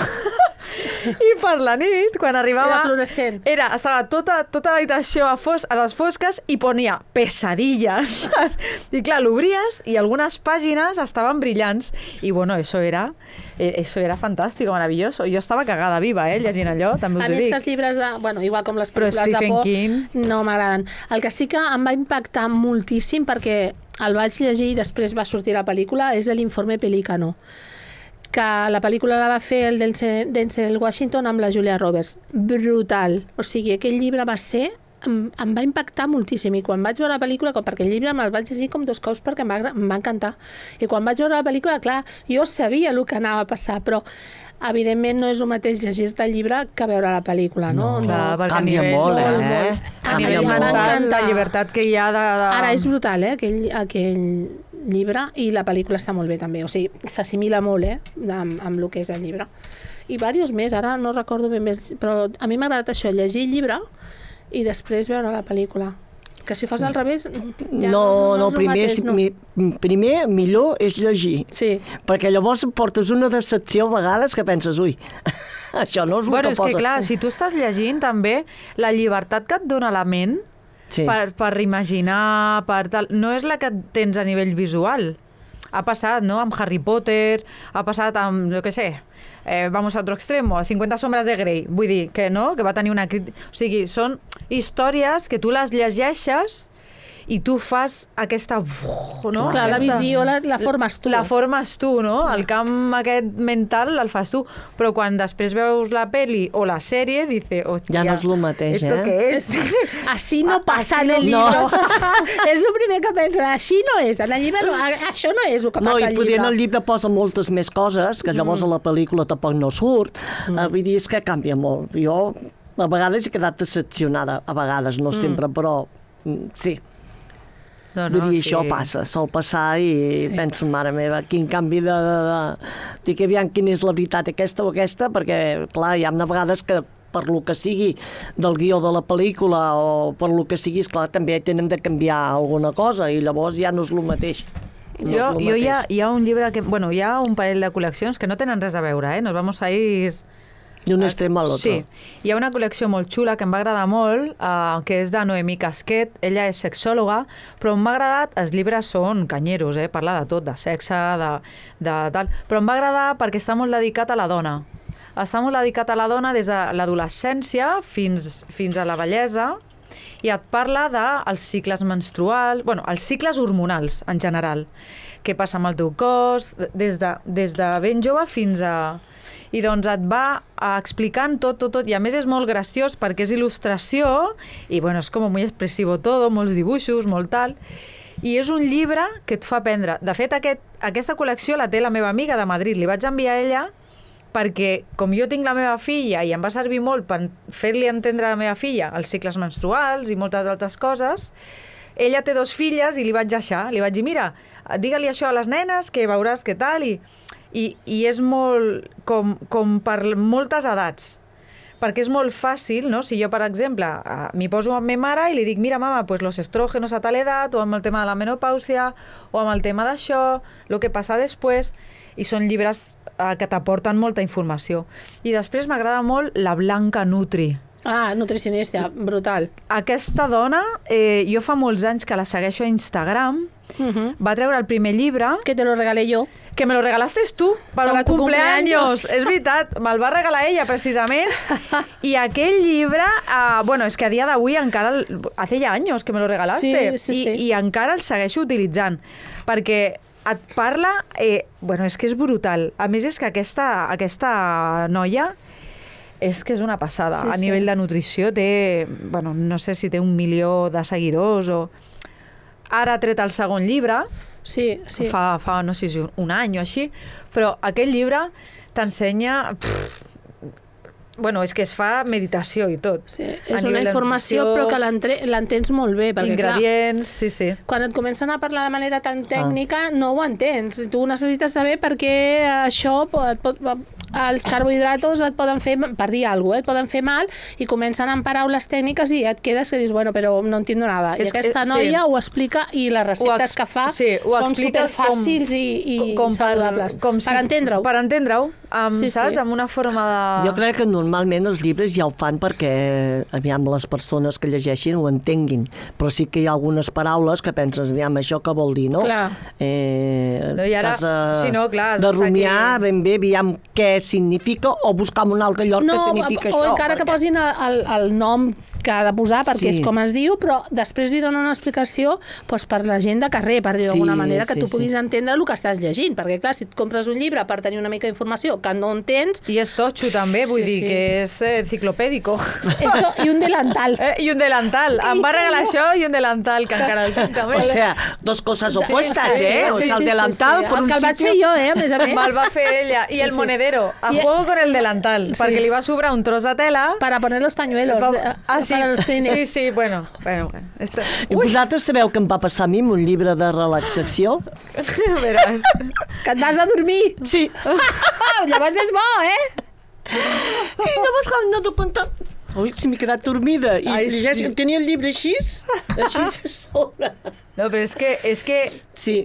i per la nit, quan arribava... Era fluorescent. Era, estava tota, tota l'habitació a, fos, a les fosques i ponia Pesadillas. I clar, l'obries i algunes pàgines estaven brillants. I bueno, eso era... Eso era fantàstic, meravelloso. Jo estava cagada viva, eh, llegint allò, també us ho dic. A més que els llibres de... Bueno, igual com les pel·lícules de por, King... no m'agraden. El que sí que em va impactar moltíssim, perquè el vaig llegir i després va sortir la pel·lícula, és l'Informe Pelícano, que la pel·lícula la va fer el Denzel Washington amb la Julia Roberts. Brutal. O sigui, aquell llibre va ser... Em, em va impactar moltíssim i quan vaig veure la pel·lícula, com, perquè el llibre me'l vaig llegir com dos cops perquè em va, em va encantar, i quan vaig veure la pel·lícula, clar, jo sabia el que anava a passar, però evidentment no és el mateix llegir-te el llibre que veure la pel·lícula, no? No, clar, no canvia nivell, molt, eh? Molt, molt. A nivell mental, la llibertat que hi ha de... de... Ara és brutal, eh, aquell, aquell llibre, i la pel·lícula està molt bé també, o sigui, s'assimila molt, eh, amb, amb el que és el llibre. I diversos més, ara no recordo ben més, però a mi m'ha agradat això, llegir el llibre i després veure la pel·lícula. Que si fas sí. al revés... Ja no, no, no, no primer, mateix, no. Mi, primer, millor és llegir. Sí. Perquè llavors portes una decepció a vegades que penses, ui, això no és el bueno, que és poses. que clar, si tu estàs llegint també, la llibertat que et dona la ment sí. per, per imaginar, per tal, no és la que tens a nivell visual. Ha passat, no?, amb Harry Potter, ha passat amb, jo què sé, Eh, vamos a otro extremo, cincuenta sombras de Grey, vull dir que no, que va tenir una crítica... O sigui, són històries que tu les llegeixes i tu fas aquesta... No? Clar, la visió la, la formes tu. La formes tu, no? El camp aquest mental el fas tu. Però quan després veus la peli o la sèrie, dice, hòstia... Ja no és el mateix, ¿esto eh? qué es? Així no passa en el llibre. No. És el primer que penses, així no és. En el llibre no, això no és el que no, passa al llibre. No, i potser en el llibre posa moltes més coses, que llavors mm. a la pel·lícula tampoc no surt. Mm. Uh, vull dir, és que canvia molt. Jo a vegades he quedat decepcionada, a vegades, no mm. sempre, però mm, sí. No, no, vull dir, sí. Això passa, sol passar i sí. Penso, mare meva, quin canvi de... de, de... Dic, aviam, quina és la veritat, aquesta o aquesta, perquè, clar, hi ha vegades que per lo que sigui del guió de la pel·lícula o per lo que sigui, esclar, també tenen de canviar alguna cosa i llavors ja no és el mateix. No jo jo hi, ha, hi ha un llibre que... Bueno, hi ha un parell de col·leccions que no tenen res a veure, eh? Nos vamos a ir... d'un extrem a l'altre. Sí. Hi ha una col·lecció molt xula que em va agradar molt, uh, que és de Noemí Casquet. Ella és sexòloga, però m'ha agradat... Els llibres són canyeros, eh? Parla de tot, de sexe, de, de tal... Però em va agradar perquè està molt dedicat a la dona. Està molt dedicat a la dona des de l'adolescència fins, fins a la vellesa, i et parla dels cicles menstruals, bueno, els cicles hormonals en general. Què passa amb el teu cos, des de, des de ben jove fins a... I doncs et va explicant tot, tot, tot, i a més és molt graciós perquè és il·lustració, i bueno, és com molt expressivo todo, molts dibuixos, molt tal, I és un llibre que et fa aprendre. De fet, aquest, aquesta col·lecció la té la meva amiga de Madrid. Li vaig enviar a ella perquè, com jo tinc la meva filla i em va servir molt per fer-li entendre a la meva filla els cicles menstruals i moltes altres coses, ella té dos filles i li vaig deixar. Li vaig dir, mira, digue-li això a les nenes, que veuràs què tal. I, i, i és molt com, com per moltes edats. Perquè és molt fàcil, no? Si jo, per exemple, m'hi poso amb ma mare i li dic, mira, mama, pues los estrógenos a tal edat, o amb el tema de la menopàusia, o amb el tema d'això, el que passa després, i són llibres eh, que t'aporten molta informació. I després m'agrada molt la Blanca Nutri. Ah, nutricionista, brutal. Aquesta dona, eh, jo fa molts anys que la segueixo a Instagram, Uh-huh. va treure el primer llibre... Que te lo regalé jo. Que me lo regalaste tu, per Para un tu cumpleaños. cumpleaños. És veritat, me'l va regalar ella, precisament. I aquell llibre, uh, bueno, és que a dia d'avui encara... El, hace ya años que me lo regalaste. Sí, sí, I, sí. I encara el segueixo utilitzant. Perquè et parla... Eh, bueno, és que és brutal. A més, és que aquesta, aquesta noia... És que és una passada. Sí, a sí. nivell de nutrició té... Bueno, no sé si té un milió de seguidors o... Ara ha tret el segon llibre, Sí, sí. fa, fa no sé si un any o així, però aquest llibre t'ensenya... pff, Bueno, és que es fa meditació i tot. Sí, A és una nivell de informació nutrició, però que l'entre- l'entens molt bé. Perquè, Ingredients, sí, sí. clar, quan et comencen a parlar de manera tan tècnica, no ho entens. Tu necessites saber per què això et pot, els carbohidratos et poden fer, per dir alguna cosa, eh, et poden fer mal, i comencen amb paraules tècniques i et quedes que dius, bueno, però no entiendo nada. I És- aquesta eh, sí. noia ho explica i les receptes ex- que fa sí, ho són explica superfàcils com- i, i com per- saludables. com si- per entendre-ho. Per entendre-ho, amb, Sí, sí. saps? Amb una forma de... Jo crec que normalment els llibres ja ho fan perquè, aviam, les persones que llegeixin ho entenguin, però sí que hi ha algunes paraules que penses, aviam, això què vol dir, no? Clar. Eh, No, i ara- t'has de, sí, no, clar, has de d'estar rumiar aquí. ben bé, aviam, què significa, o buscar en un altre lloc No, que significa o això. encara que perquè- posin el, el nom que ha de posar perquè Sí. és com es diu, però després li dona una explicació doncs, per la gent de carrer, per dir-ho Sí, d'alguna manera, que sí, tu sí. puguis entendre el que estàs llegint, perquè clar, si et compres un llibre per tenir una mica d'informació que no entens, I és totxo també, vull Sí, dir sí. que és eh, enciclopèdico. eso, i un delantal. Eh, I un delantal. Em va regalar això i un delantal, que encara el tinc també. O sea, dos cosas opuestas, sí, ¿eh? sí, o sí, sea, el sí, delantal sí, sí. por El un que el vaig sitio... fer jo, eh, a més a més. Me'l va fer ella. I Sí, el sí. monedero. A I- juego con el delantal. Sí. Perquè li va sobrar un tros de tela. Para poner los pañuelos, Pa- de- ah, sí. para los Kleenex. Sí, sí, bueno. bueno, bueno. Esto... I vosaltres sabeu què em va passar a mi amb un llibre de relaxació? Veràs. Que et vas a dormir. Sí. Llavors és bo, eh? I llavors quan m'he compte... Ui, si m'he quedat dormida. I Ai, llegeix, sí. tenia el llibre així, així a sobre. No, però és que, és que Sí.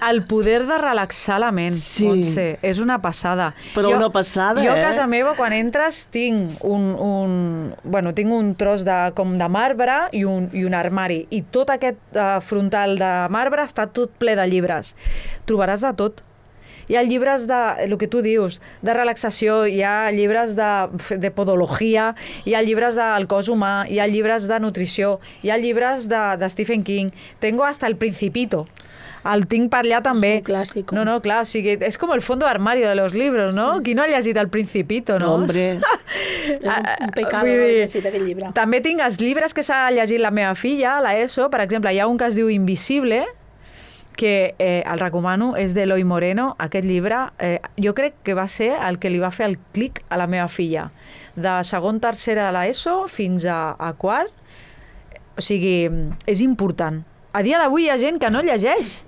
el poder de relaxar la ment, Sí. Montse, és una passada. Però una passada, jo eh? a casa meva, quan entres, tinc un, un, bueno, tinc un tros de, com de marbre i un, i un armari. I tot aquest uh, frontal de marbre està tot ple de llibres. Trobaràs de tot. Hi ha llibres de, el que tu dius, de relaxació, hi ha llibres de, de podologia, hi ha llibres del cos humà, hi ha llibres de nutrició, hi ha llibres de, de Stephen King. Tengo hasta El Principito. El tinc per allà també. un clàssic. No, no, clar, o sigui, és com el fondo armario de los libros, no? Sí. Qui no ha llegit El Principito, no? Hombre. És un, un pecado Vull no dir, llegit aquell llibre. També tinc els llibres que s'ha llegit la meva filla, la ESO, per exemple, hi ha un que es diu Invisible, que eh, el recomano, és d'Eloi Moreno. Aquest llibre, eh, jo crec que va ser el que li va fer el clic a la meva filla. De segon, tercera de l'ESO fins a, a quart. O sigui, és important. A dia d'avui hi ha gent que no llegeix.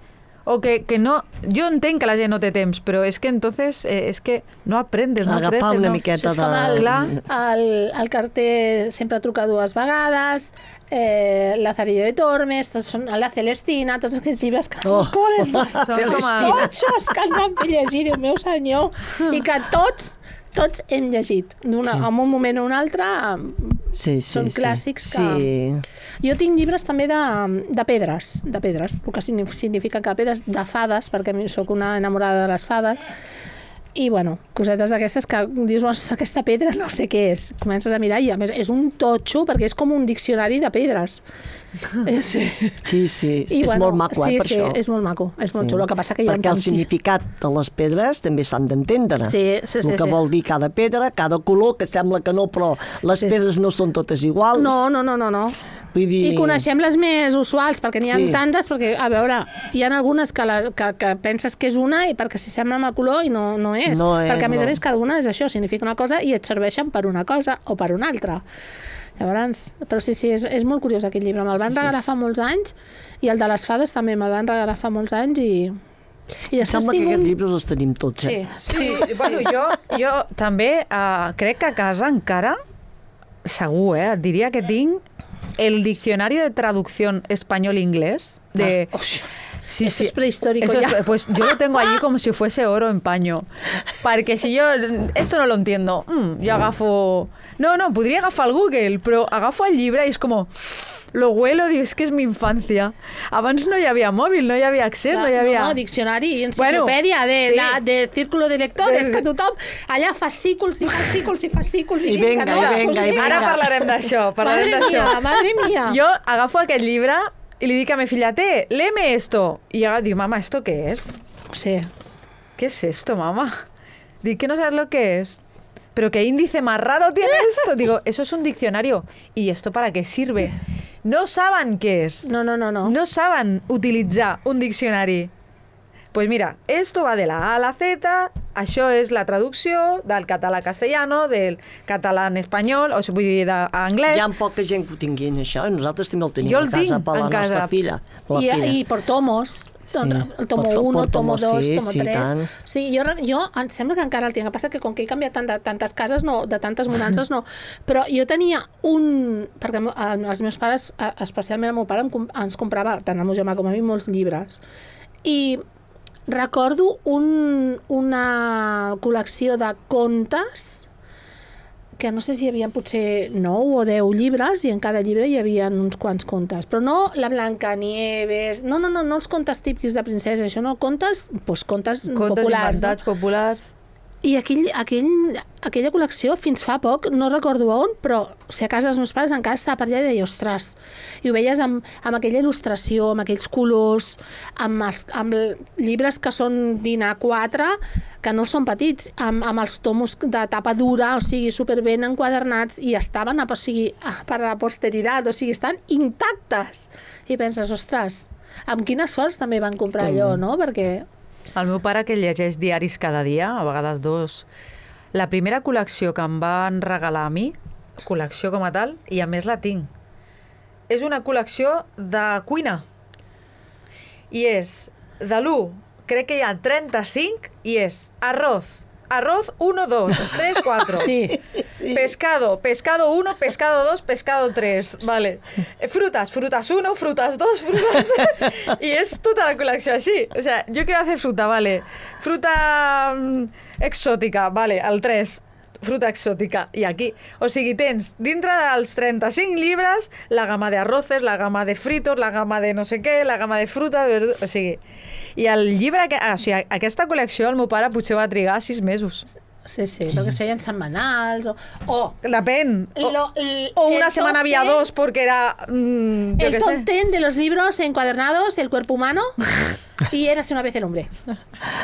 O que, que no... Jo entenc que la gent no té temps, però és que entonces eh, és que no aprendes, no Agafar creces, una no. miqueta Això és com de... el, Clar. el, el carter sempre truca dues vegades, eh, Lazarillo de Tormes, tots són, la Celestina, tots aquests llibres que Oh. colen, Són com a... totxos que ens han fet llegir, Déu meu senyor, i que tots, tots hem llegit, d'una, Sí. en un moment o un altre. Sí, sí, Són sí. clàssics que- Sí. Jo tinc llibres també de, de pedres, de pedres, el que significa que pedres de fades, perquè sóc una enamorada de les fades, i bueno, cosetes d'aquestes que dius, aquesta pedra no sé què és, comences a mirar i a més és un totxo perquè és com un diccionari de pedres Eh, Sí, Sí, sí, I, és bueno, molt maco, eh, sí, per sí, això. és molt maco, és molt Sí. xulo. El que passa que hi ha Perquè el tantíssim- significat de les pedres també s'han d'entendre. Sí, sí, sí, El que sí. vol dir cada pedra, cada color, que sembla que no, però les Sí. pedres no són totes iguals. No, no, no, no, no. Vull dir... I coneixem les més usuals, perquè n'hi ha Sí. tantes, perquè, a veure, hi ha algunes que, la, que, que penses que és una i perquè s'hi sembla amb el color i no, no és. No és, perquè, a més no. a més, cada una és això, significa una cosa i et serveixen per una cosa o per una altra. Llavors, però sí, sí, és, és molt curiós aquest llibre. Me'l van regalar fa molts anys i el de les fades també me'l van regalar fa molts anys i... I Em sembla que tinc aquests un- llibres els tenim tots, Sí, eh? Sí, bueno, jo, jo també uh, crec que a casa encara, segur, eh, et diria que tinc el Diccionario de Traducción Español-Inglés de... Ah, uix. Sí, Eso es prehistórico Eso ya. es- pues yo lo tengo allí como si fuese oro en paño. Perquè si jo esto no lo entiendo, mm, jo agafo... No, no, podria agafar el Google, però agafo el llibre i és com... Lo huelo, digo, es que és mi infancia. Abans no hi havia mòbil, no hi havia accés, no hi havia... No, no, diccionari i enciclopèdia Bueno, de, sí. la, de círculo de lectores, De- que tothom allà fascículs i fascículs i fascículs I vinga, venga, no, i això venga, és i vinga. Ara parlarem d'això, parlarem Madre d'això. mía, madre mía. Jo agafo aquest llibre i li dic a mi filla, té, léeme esto. I ella diu, mamá, ¿esto qué es? Sí. ¿Qué es esto, mamá? Digo, ¿que no sabes lo que es? ¿Pero qué índice más raro tiene esto? Digo, eso es un diccionario. ¿Y esto para qué sirve? No saben què és. No, no, no, no. No saben utilitzar un diccionari. Pues mira, esto va de la A a la Z, això és la traducció del català a castellano, del català en espanyol, o sigui, vull dir, d'anglès. Hi ha poca gent que ho tinguin, això, i nosaltres també el tenim Jo el a casa tinc per la en casa. nostra filla. per la I, filla. I per tomos. Sí, El tomo per to- uno, per tomo tomos, dos, sí, tomo sí, tres. tant. Sí, jo, jo em sembla que encara el tinc. El que passa que com que he canviat tant de, tantes cases, no, de tantes mudances, no. Però jo tenia un... Perquè el- els meus pares, eh, especialment el meu pare, em com- ens comprava, tant el meu germà com a mi, molts llibres. I recordo un, una col·lecció de contes que no sé si hi havia potser nou o deu llibres i en cada llibre hi havia uns quants contes. Però no la Blancanieves, no, no, no, no els contes típics de princesa, això no, contes, doncs contes, Contes populars. inventats, populars. I aquell, aquell, aquella col·lecció, fins fa poc, no recordo on, però o sigui, a casa dels meus pares encara estava per allà i deia, ostres, i ho veies amb, amb aquella il·lustració, amb aquells colors, amb, els, amb llibres que són d'I N A quatre, que no són petits, amb, amb els tomos de tapa dura, o sigui, superben enquadernats, i estaven, o sigui, per a la posteritat, o sigui, estan intactes. I penses, ostres, amb quines sorts també van comprar També. allò, no? Perquè... El meu pare, que llegeix diaris cada dia, a vegades dos, la primera col·lecció que em van regalar a mi, col·lecció com a tal, i a més la tinc, és una col·lecció de cuina. I és de l'u, crec que hi ha trenta-cinc, i és arroz, arroz uno, dos, tres, cuatro. Sí. Sí. Pescado, pescado uno, pescado dos, pescado tres. Vale. Frutas, frutas uno, frutas dos, frutas tres. Y es toda la colección así. O sea, yo quiero hacer fruta, vale. Fruta mm, exòtica, vale, el tres. Fruta exòtica. I aquí. O sigui, tens dintre dels trenta-cinc llibres la gamma de arroces, la gamma de fritos, la gamma de no sé què, la gamma de fruta, de verdura... O sigui... I el llibre... Que, ah, o sigui, aquesta col·lecció el meu pare potser va trigar sis mesos. Sí, sí, lo que seien setmanals o... o Depèn. O, Lo- el- o una el semana top había ten- dos porque era... Mmm, yo el qué top sé. ten de los libros encuadernados, el cuerpo humano y Érase una vez el hombre.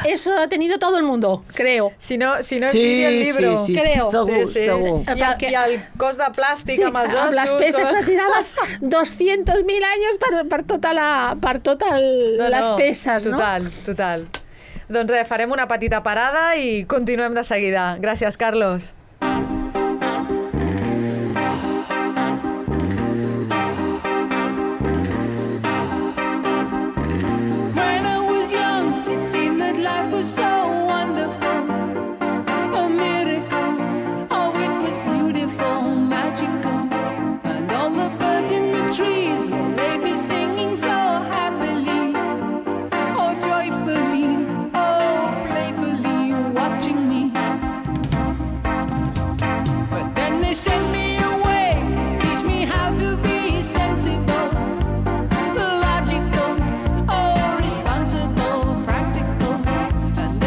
Eso ha tenido todo el mundo, creo. Si no, si no Sí, envidia el libro. sí, sí, Creo. segur, Sí, sí. segur. I, el, I el cos de plàstic amb els ossos. amb les peces tot. retiraves doscientos mil anys per, per tota la, per totes No, les no, peces, no? Total, total. Doncs res, farem una petita parada i continuem de seguida. Gràcies, Carlos. When I was young, it seemed that life was so wonderful, a miracle. Oh, it was beautiful, magical, and all the birds in the trees, well, they'd be singing so happily, oh, joyfully, oh, playfully, watching me. But then they sent me away to teach me how to be sensible, logical, oh, responsible, practical. And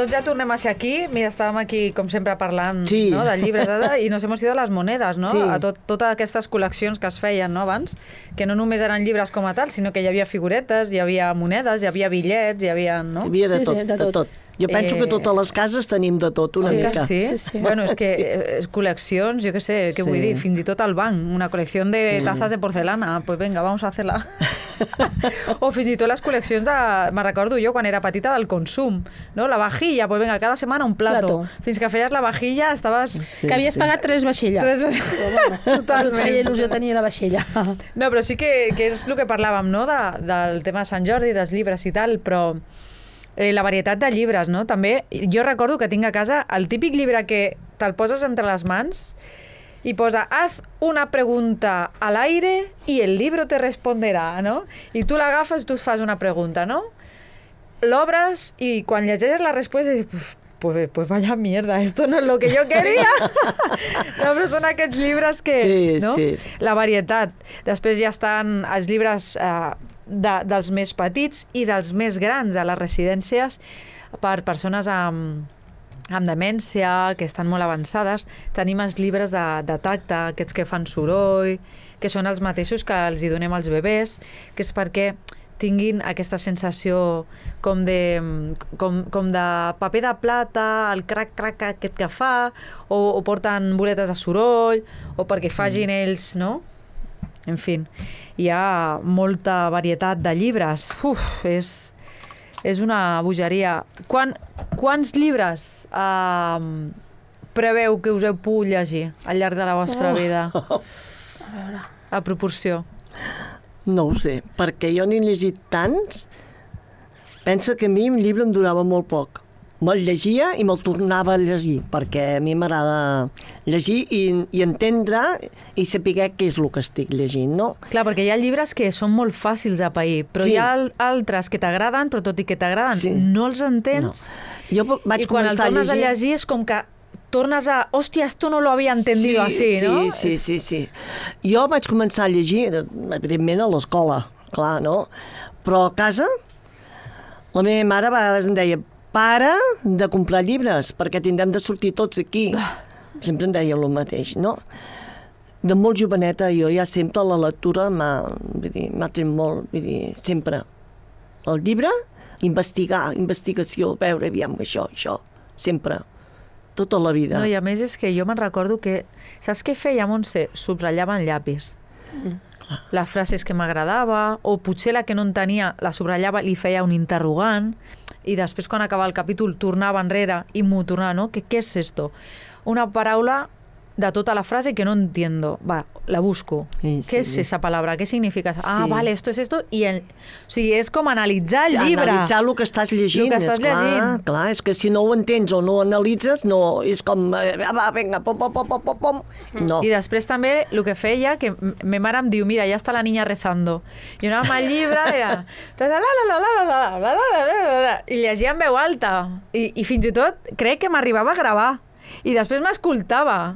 Doncs ja tornem a ser aquí. Mira, estàvem aquí, com sempre, parlant Sí. no, de llibres de, i nos hemos ido a les monedes, no? Sí. A tot, totes aquestes col·leccions que es feien no, abans, que no només eren llibres com a tal, sinó que hi havia figuretes, hi havia monedes, hi havia bitllets, hi havia... No? Hi havia de Sí, tot, sí, de de tot. tot. Jo penso Eh, que totes les cases tenim de tot una Sí, mica. que sí? Sí, sí. Bueno, és que sí. col·leccions, jo què sé, què Sí. vull dir, fins i tot al banc, una col·lecció de Sí. tazas de porcelana, pues venga, vamos a hacerla. O fins i tot les col·leccions de, me recordo jo quan era petita, del consum, no? La vajilla, pues venga, cada setmana un plato. Plato. Fins que feies la vajilla estaves... Sí, Que havies sí. pagat tres vaixelles. Tres... Totalment. Et feia il·lusió tenir la vaixella. No, però sí que, que és el que parlàvem, no?, de, del tema de Sant Jordi, dels llibres i tal, però eh, la varietat de llibres, no? També, jo recordo que tinc a casa el típic llibre que te'l poses entre les mans i posa, haz una pregunta al aire y el libro te responderá, no? I tu l'agafes, tu et fas una pregunta, no? L'obres i quan llegeixes la resposta dius, pues, pues vaya mierda, esto no es lo que yo quería. No, però són aquests llibres que... Sí, no? sí. La varietat. Després ja estan els llibres eh, de, dels més petits i dels més grans a les residències per persones amb, amb demència, que estan molt avançades. Tenim els llibres de, de tacte, aquests que fan soroll, que són els mateixos que els hi donem als bebès, que és perquè tinguin aquesta sensació com de, com, com de paper de plata, el crac-crac aquest que fa, o, o porten boletes de soroll, o perquè facin ells, no? En fi, hi ha molta varietat de llibres. Uf, és, és una bogeria. Quan, quants llibres eh, preveu que us heu pogut llegir al llarg de la vostra Oh. vida? A veure. A proporció. No ho sé, perquè jo n'he llegit tants. Pensa que a mi un llibre em durava molt poc. Me'l llegia i me'l tornava a llegir, perquè a mi m'agrada llegir i, i entendre i saber què és el que estic llegint, no? Clar, perquè hi ha llibres que són molt fàcils de pair, però Sí. hi ha al- altres que t'agraden, però tot i que t'agraden, Sí. no els entens. Jo vaig I quan el començar a tornes a llegir... llegir és com que tornes a... Hòstia, esto no lo había entendido así, sí, no? Sí, sí, sí. Jo vaig començar a llegir, evidentment, a l'escola, clar, no? Però a casa, la meva mare a vegades em deia para de comprar llibres, perquè tindrem de sortir tots aquí. Sempre em deia el mateix, no? De molt joveneta, jo ja sempre la lectura m'ha vull dir, m'ha tret molt, vull dir, sempre. El llibre, investigar, investigació, veure, aviam, això, això, sempre. Tota la vida. No, i a més és que jo me'n recordo que... Saps què feia, Montse? Subratllava en llapis. Les frases que m'agradava, o potser la que no en tenia, la subratllava, li feia un interrogant, i després, quan acabava el capítol, tornava enrere i m'ho tornava, no? ¿Qué, ¿Qué es esto? Una paraula de tota la frase que no entiendo. Va, la busco. Sí, ¿Qué sí. es esa palabra? ¿Qué significa? Ah, Sí. vale, esto es esto. I el... O sigui, és com analitzar el llibre. Analitzar el que estàs llegint. El que estàs és clar, llegint. Clar, és que si no ho entens o no ho analitzes, no, és com, eh, va, vinga, pom, pom, pom, pom, pom, pom. No. I després també el que feia, que m- me mare em diu, mira, ja està la niña rezando. I anàvem al llibre, era... ta, ta, la, la, la, la, la, la, la, la, la, la, la, I llegia en veu alta. I, I fins i tot crec que m'arribava a gravar. I després m'escoltava.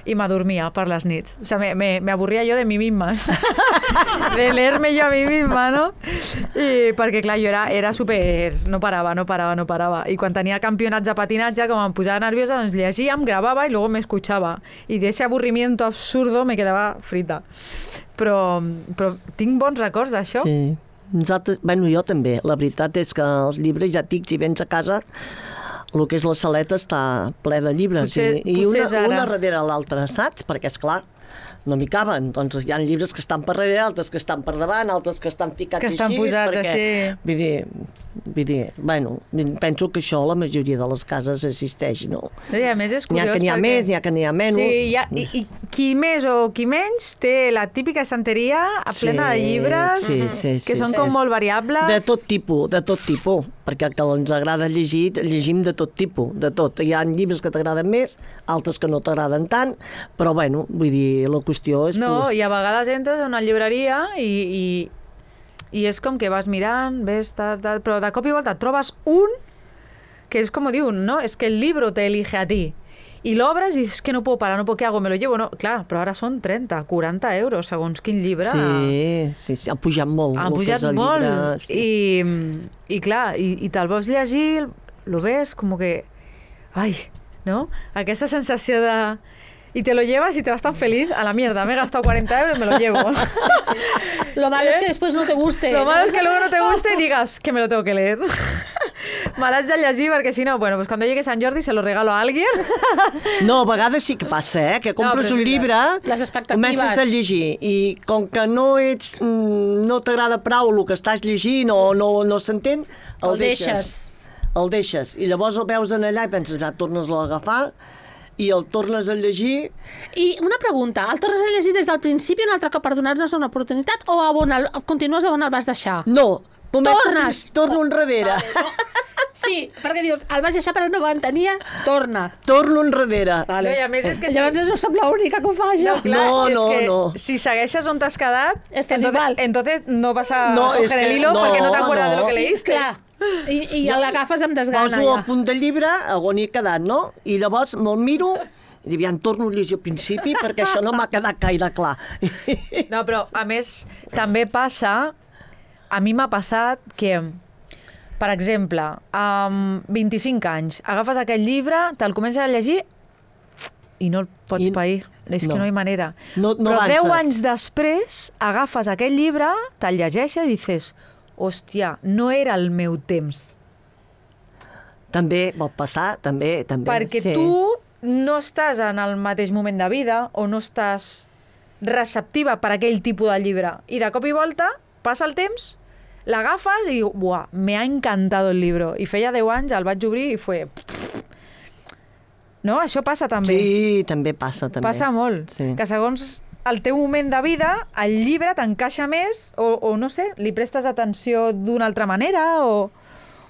I m'adormia per les nits. O sea, me, me, me avorria jo de mi misma. De leer-me jo a mi misma, no? I perquè, clar, jo era, era super... No parava, no parava, no parava. I quan tenia campionats de patinatge, com em posava nerviosa, doncs llegia, em gravava i luego me escuchava. I d'ese aburrimiento absurdo me quedava frita. Però, però tinc bons records d'això. Sí. Nosaltres, bueno, jo també. La veritat és que els llibres, ja et dic, si vens a casa, el que és la saleta està ple de llibres. Potser- I, i potser una, és ara. una darrere l'altra, saps? Perquè, és clar, no m'hi caben. Doncs hi ha llibres que estan per darrere, altres que estan per davant, altres que estan ficats Que estan així. posats perquè, així. Vull dir, vull dir, bueno, penso que això a la majoria de les cases existeix, no? I a més és N'hi ha curiós que n'hi ha perquè... més, n'hi ha que n'hi ha menys. Sí, hi ha, i, i qui més o qui menys té la típica estanteria plena de Sí, llibres sí, sí, que sí, són sí. com molt variables. De tot tipus, de tot tipus, perquè el que ens agrada llegir, llegim de tot tipus, de tot. Hi ha llibres que t'agraden més, altres que no t'agraden tant, però bueno, vull dir, la qüestió és... No, que... i a vegades entres a una llibreria i, i, i és com que vas mirant, ves, tal, tal, però de cop i volta et trobes un que és com diu, no? És que el libro te elige a ti. I l'obres i és que no puedo parar, no puedo, ¿qué hago? Me lo llevo, no? Clar, però ara són trenta, quaranta euros, segons quin llibre. Sí, sí, sí, ha pujat molt. Han el que pujat és el molt. llibre, sí. I, I clar, i, i te'l vols llegir, lo ves como que... Ay, ¿no? Aquesta sensació de... Y te lo llevas y te vas tan feliz a la mierda. Me he gastado cuarenta euros, me lo llevo. Sí. Lo malo ¿Eh? es que después no te guste. Lo malo es que luego no te guste y digas que me lo tengo que leer. Me l'haig de llegir perquè si no, bueno, pues cuando llegue Sant Jordi se lo regalo a alguien. No, a vegades sí que passa, eh? Que compres no, un llibre, comences a llegir i com que no ets, no t'agrada prou el que estàs llegint o no, no s'entén, el, el deixes. deixes. El deixes. I llavors el veus en allà i penses, ja, tornes-lo a agafar i el tornes a llegir... I una pregunta, el tornes a llegir des del principi un altre cop per donar-nos una oportunitat o a on el, continues a on el vas deixar? No, tornes! Torno enrere. Vale, no. Sí, perquè dius, el vas deixar però no ho entenia, torna. Torno enrere. Vale. No, i a més és que... Llavors no som l'única que ho fa, això. No, clar, no, és no, que no. si segueixes on t'has quedat, Estàs entonces, igual. entonces no vas a no, coger el hilo no, perquè no t'acuerdas no. de lo que leíste. Clar. I, i no. l'agafes amb desgana. Poso ja. el punt del llibre on he quedat, no? I llavors me'l miro i dic, ja em torno a llegir al principi perquè això no m'ha quedat gaire clar. No, però a més també passa, a mi m'ha passat que, per exemple, amb vint-i-cinc anys, agafes aquest llibre, te'l comences a llegir i no el pots I... pair. És no. que no hi ha manera. No, no però avances. deu anys després agafes aquest llibre, te'l llegeixes i dices, hòstia, no era el meu temps. També pot passar, també. també Perquè sí. tu no estàs en el mateix moment de vida o no estàs receptiva per aquell tipus de llibre. I de cop i volta, passa el temps, l'agafes i diu, buah, me ha encantado el libro. I feia deu anys, el vaig obrir i fue... No? Això passa també. Sí, també passa. També. Passa molt. Sí. Que segons el teu moment de vida, el llibre t'encaixa més o, o no sé, li prestes atenció d'una altra manera o,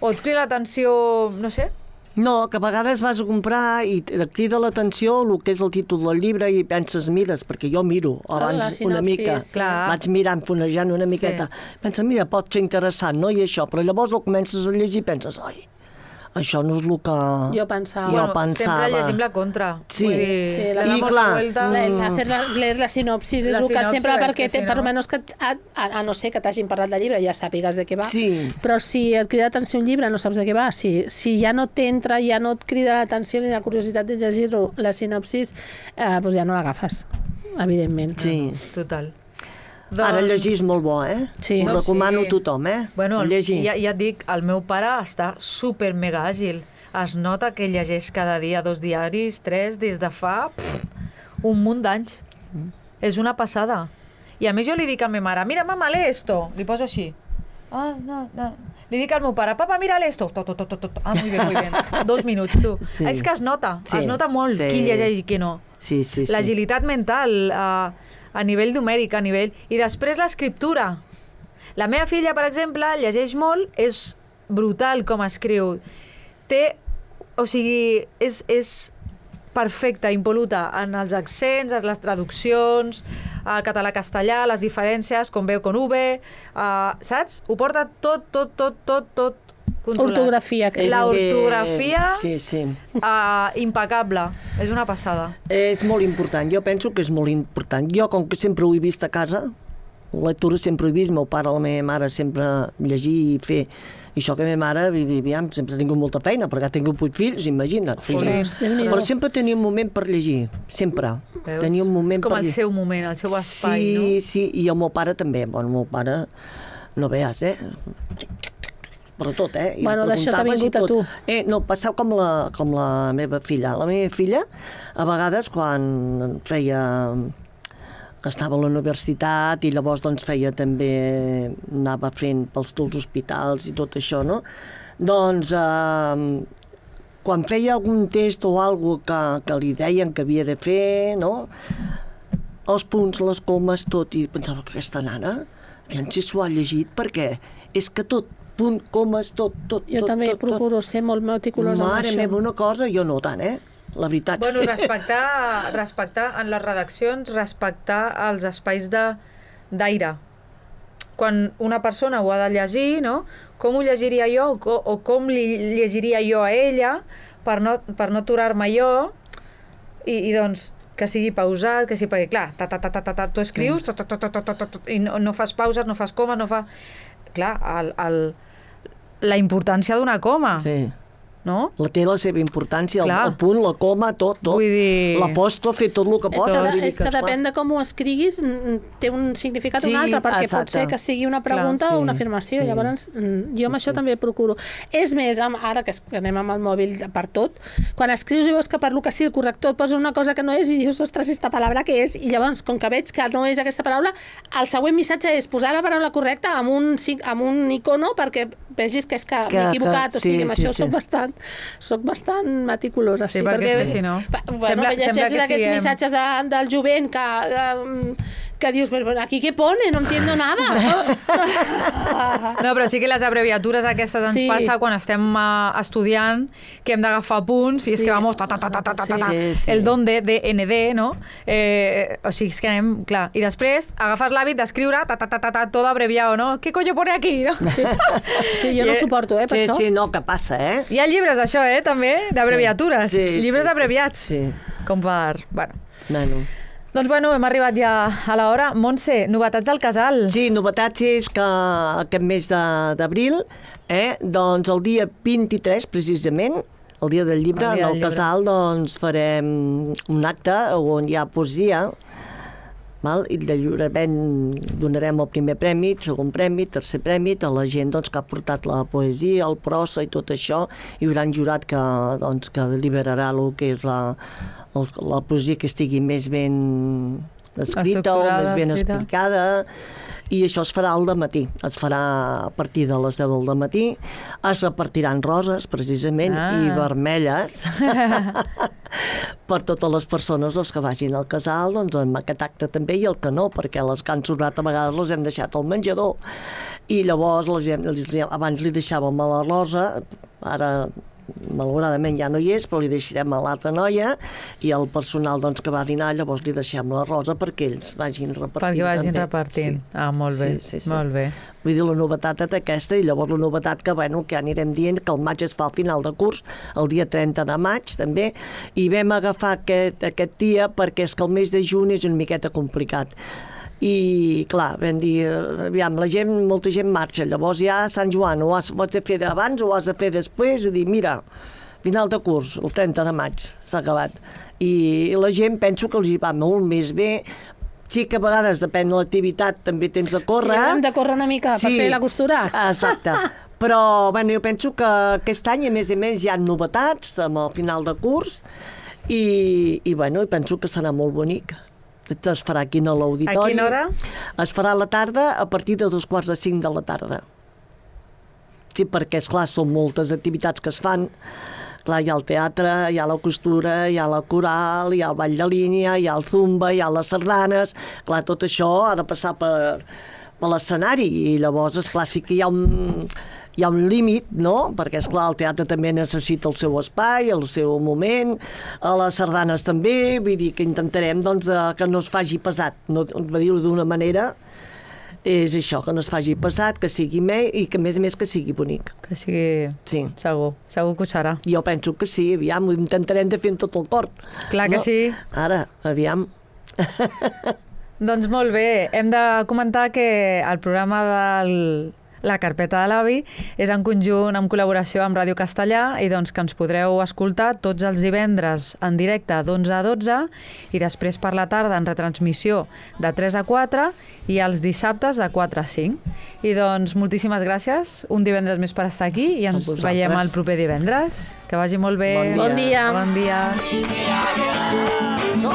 o et crida l'atenció, no sé... No, que a vegades vas a comprar i et crida l'atenció el que és el títol del llibre i penses, mires, perquè jo miro abans sinopsis, una mica, sí. vaig mirant, fonejant una miqueta. Sí. Pensa, mira, pot ser interessant, no? I això, però llavors el comences a llegir i penses, ai, això no és el que jo pensava. Jo bueno, pensava. Sempre llegim la contra. Sí, Vull dir, sí la i clar, vuelta. mm. La, hacer la, leer la sinopsis La és el que sinopsi, sempre, és perquè que té, si per no- almenys que a, a, a no ser que t'hagin parlat del llibre, ja sàpigues de què va. Sí. Però si et crida l'atenció un llibre, no saps de què va. Si, si ja no t'entra, ja no et crida l'atenció ni la curiositat de llegir-lo, la sinopsis, eh, doncs ja no l'agafes, evidentment. Sí. Total. Ara llegir és molt bo, eh? Sí. Ho No, recomano sí. a tothom, eh? Bueno, llegir. ja, ja et dic, el meu pare està super mega àgil. Es nota que llegeix cada dia dos diaris, tres, des de fa pff, un munt d'anys. Mm. És una passada. I a més jo li dic a la meva mare, mira, mama, lee esto. Li poso així. Ah, no, no. Li dic al meu pare, papa, mira, lee esto. Tot, tot, tot, tot. Ah, muy bien, muy bien. Dos minuts, tu. Sí. És que es nota, Sí. es nota molt Sí. qui llegeix i qui no. Sí, sí, sí. L'agilitat mental, a, a nivell numèric, a nivell... I després l'escriptura. La meva filla, per exemple, llegeix molt, és brutal com escriu. Té, o sigui, és, és perfecta, impol·luta en els accents, en les traduccions, el català-castellà, les diferències, com veu, con V, uh, saps? Ho porta tot, tot, tot, tot, tot controlat. Ortografia, que és- La que- ortografia Sí, sí. uh, impecable. És una passada. És molt important, jo penso que és molt important. Jo, com que sempre ho he vist a casa, la lectura sempre ho he vist, meu pare, la meva mare sempre llegir i fer. I això que la meva mare, aviam, sempre ha tingut molta feina, perquè ha tingut vuit fills, imagina't. Jolín. Però sempre tenia un moment per llegir, sempre. Veus? Tenia un moment És com per el llegir. seu moment, el seu espai, sí, no? Sí, sí, i el meu pare també. Bueno, el meu pare, no veus, eh? Però tot, eh? I Bueno, d'això t'ha preguntaves i vingut a tot. tu. Eh, no, passava com la, com la meva filla. La meva filla, a vegades, quan feia que estava a la universitat i llavors doncs feia també, anava fent pels teus hospitals i tot això, no? Doncs eh, quan feia algun test o alguna cosa que, que li deien que havia de fer, no? Els punts, les comes, tot, i pensava que aquesta nana, aviam si s'ho ha llegit, perquè és que tot, punt, comes, tot, tot, Jo tot, també tot, procuro ser molt meticulosa amb Mare això. meva, una cosa, jo no tant, eh? La veritat. Bueno, respectar, respectar en les redaccions, respectar els espais de- d'aire. Quan una persona ho ha de llegir, no? Com ho llegiria jo o, co- o com li llegiria jo a ella per no, per no aturar-me jo i, i doncs que sigui pausat, que sigui, perquè clar, ta, ta, ta, ta, ta, ta, tu escrius ta, ta, ta, ta, ta, ta, ta, ta, i no, no fas pauses, no fas comes, no fa... Clar, el, el, la importància d'una coma. Sí. no? La té la seva importància, el, Clar. el punt, la coma, tot, tot. Vull dir- L'apòstrof, fer tot el que És pot. que, vull dir és que esclar, depèn de com ho escriguis, mm, té un significat Sí, un altre, perquè exacte. pot ser que sigui una pregunta Clar, o una sí, afirmació. sí. Llavors, mm, jo amb Sí, això sí. també procuro. És més, amb, ara que es- que anem amb el mòbil per tot, quan escrius i veus que per lo que sigui el corrector et posa una cosa que no és i dius, ostres, esta paraula què és? I llavors, com que veig que no és aquesta paraula, el següent missatge és posar la paraula correcta amb un, sig- amb un icono perquè vegis que és que, Que- m'he equivocat. que- o sigui, sí, amb sí, això sí. soc bastant, soc bastant meticulosa. Sí, perquè és que si no- Pa- Bueno, Sembla- que llegeixes sembla que aquests siguem- missatges de, del jovent que, que, que dius, però aquí què pone? No entiendo nada. No, però sí que les abreviatures aquestes ens Sí. passa quan estem uh, estudiant, que hem d'agafar punts, i és Sí. que vamos ta, ta, ta, ta, ta, ta, Sí. ta, Sí, sí. el donde, D N D, no? Eh, o sigui, és que anem, clar. I després agafes l'hàbit d'escriure ta, ta, ta, ta, ta, tot abreviado, no? Què coño pone aquí, no? Sí, sí jo no I- ho suporto, eh, per Sí, això. sí, no, que passa, eh? Hi ha llibres d'això, eh, també, d'abreviatures. Sí, llibres sí, sí. abreviats. Sí. Com per... Bueno. Bueno. Doncs bueno, hem arribat ja a l'hora. Montse, novetats del casal. Sí, novetats és que aquest mes de- d'abril, eh, doncs el dia vint-i-tres, precisament, el dia del llibre, El dia en del el llibre. casal doncs, farem un acte on hi ha poesia, val? I de lliurament donarem el primer premi, el segon premi, tercer premi, a la gent doncs, que ha portat la poesia, el prosa i tot això. Hi haurà un jurat que, doncs, que deliberarà el que és la, el, la poesia que estigui més ben escrita o Estructurada, més ben escrita. explicada, i això es farà al dematí, es farà a partir de les deu del matí, es repartiran roses, precisament, Ah. i vermelles, per totes les persones doncs, que vagin al casal, doncs, amb aquest acte també, i el que no, perquè les que han sobrat a vegades les hem deixat al menjador, i llavors les hem, les, abans li deixàvem a la Rosa, ara malauradament ja no hi és, però li deixarem a l'altra noia, i el personal doncs, que va a dinar, llavors li deixem la Rosa perquè ells vagin repartint. Perquè vagin també. repartint. Sí. Ah, molt bé, Sí, sí, sí. molt bé. Vull dir, la novetat és aquesta, i llavors la novetat que, bueno, que anirem dient que el maig es fa al final de curs, el dia trenta de maig, també, i vam agafar aquest, aquest dia perquè és que el mes de juny és una miqueta complicat. I, clar, vam dir, eh, aviam, la gent, molta gent marxa, llavors ja Sant Joan, ho has, ho has de fer abans o ho has de fer després, i dir, mira, final de curs, el trenta de maig, s'ha acabat. I la gent penso que els hi va molt més bé. Sí que a vegades, depèn de l'activitat, també tens de córrer. Sí, hem de córrer una mica per fer la costura. Exacte. Però bueno, jo penso que aquest any, a més a més, hi ha novetats amb el final de curs, i, i, bueno, i penso que serà molt bonic. Es farà aquí a l'auditori. A quina hora? Es farà a la tarda, a partir de dos quarts de cinc de la tarda. Sí, perquè, esclar, són moltes activitats que es fan. Clar, hi ha el teatre, hi ha la costura, hi ha la coral, hi ha el ball de línia, hi ha el zumba, hi ha les sardanes. Clar, tot això ha de passar per, per l'escenari, i llavors, esclar, sí que hi ha un, hi ha un límit, no? Perquè, esclar, el teatre també necessita el seu espai, el seu moment, a les sardanes també, vull dir que intentarem doncs, de, que no es faci pesat, no, per dir-ho d'una manera, és això, que no es faci pesat, que sigui més i que, a més a més, que sigui bonic. Que sigui... Sí. Segur, segur que ho serà. Jo penso que sí, aviam, ho intentarem de fer amb tot el cor. Clar que sí. Ara, aviam. Doncs molt bé, hem de comentar que el programa del La Carpeta de l'Avi és en conjunt amb col·laboració amb Ràdio Castellà, i doncs que ens podreu escoltar tots els divendres en directe d'onze a dotze, i després per la tarda en retransmissió de tres a quatre, i els dissabtes de quatre a cinc. I doncs moltíssimes gràcies un divendres més per estar aquí, i ens vosaltres. veiem el proper divendres. Que vagi molt bé. Bon dia. Bon dia. Bon dia. Som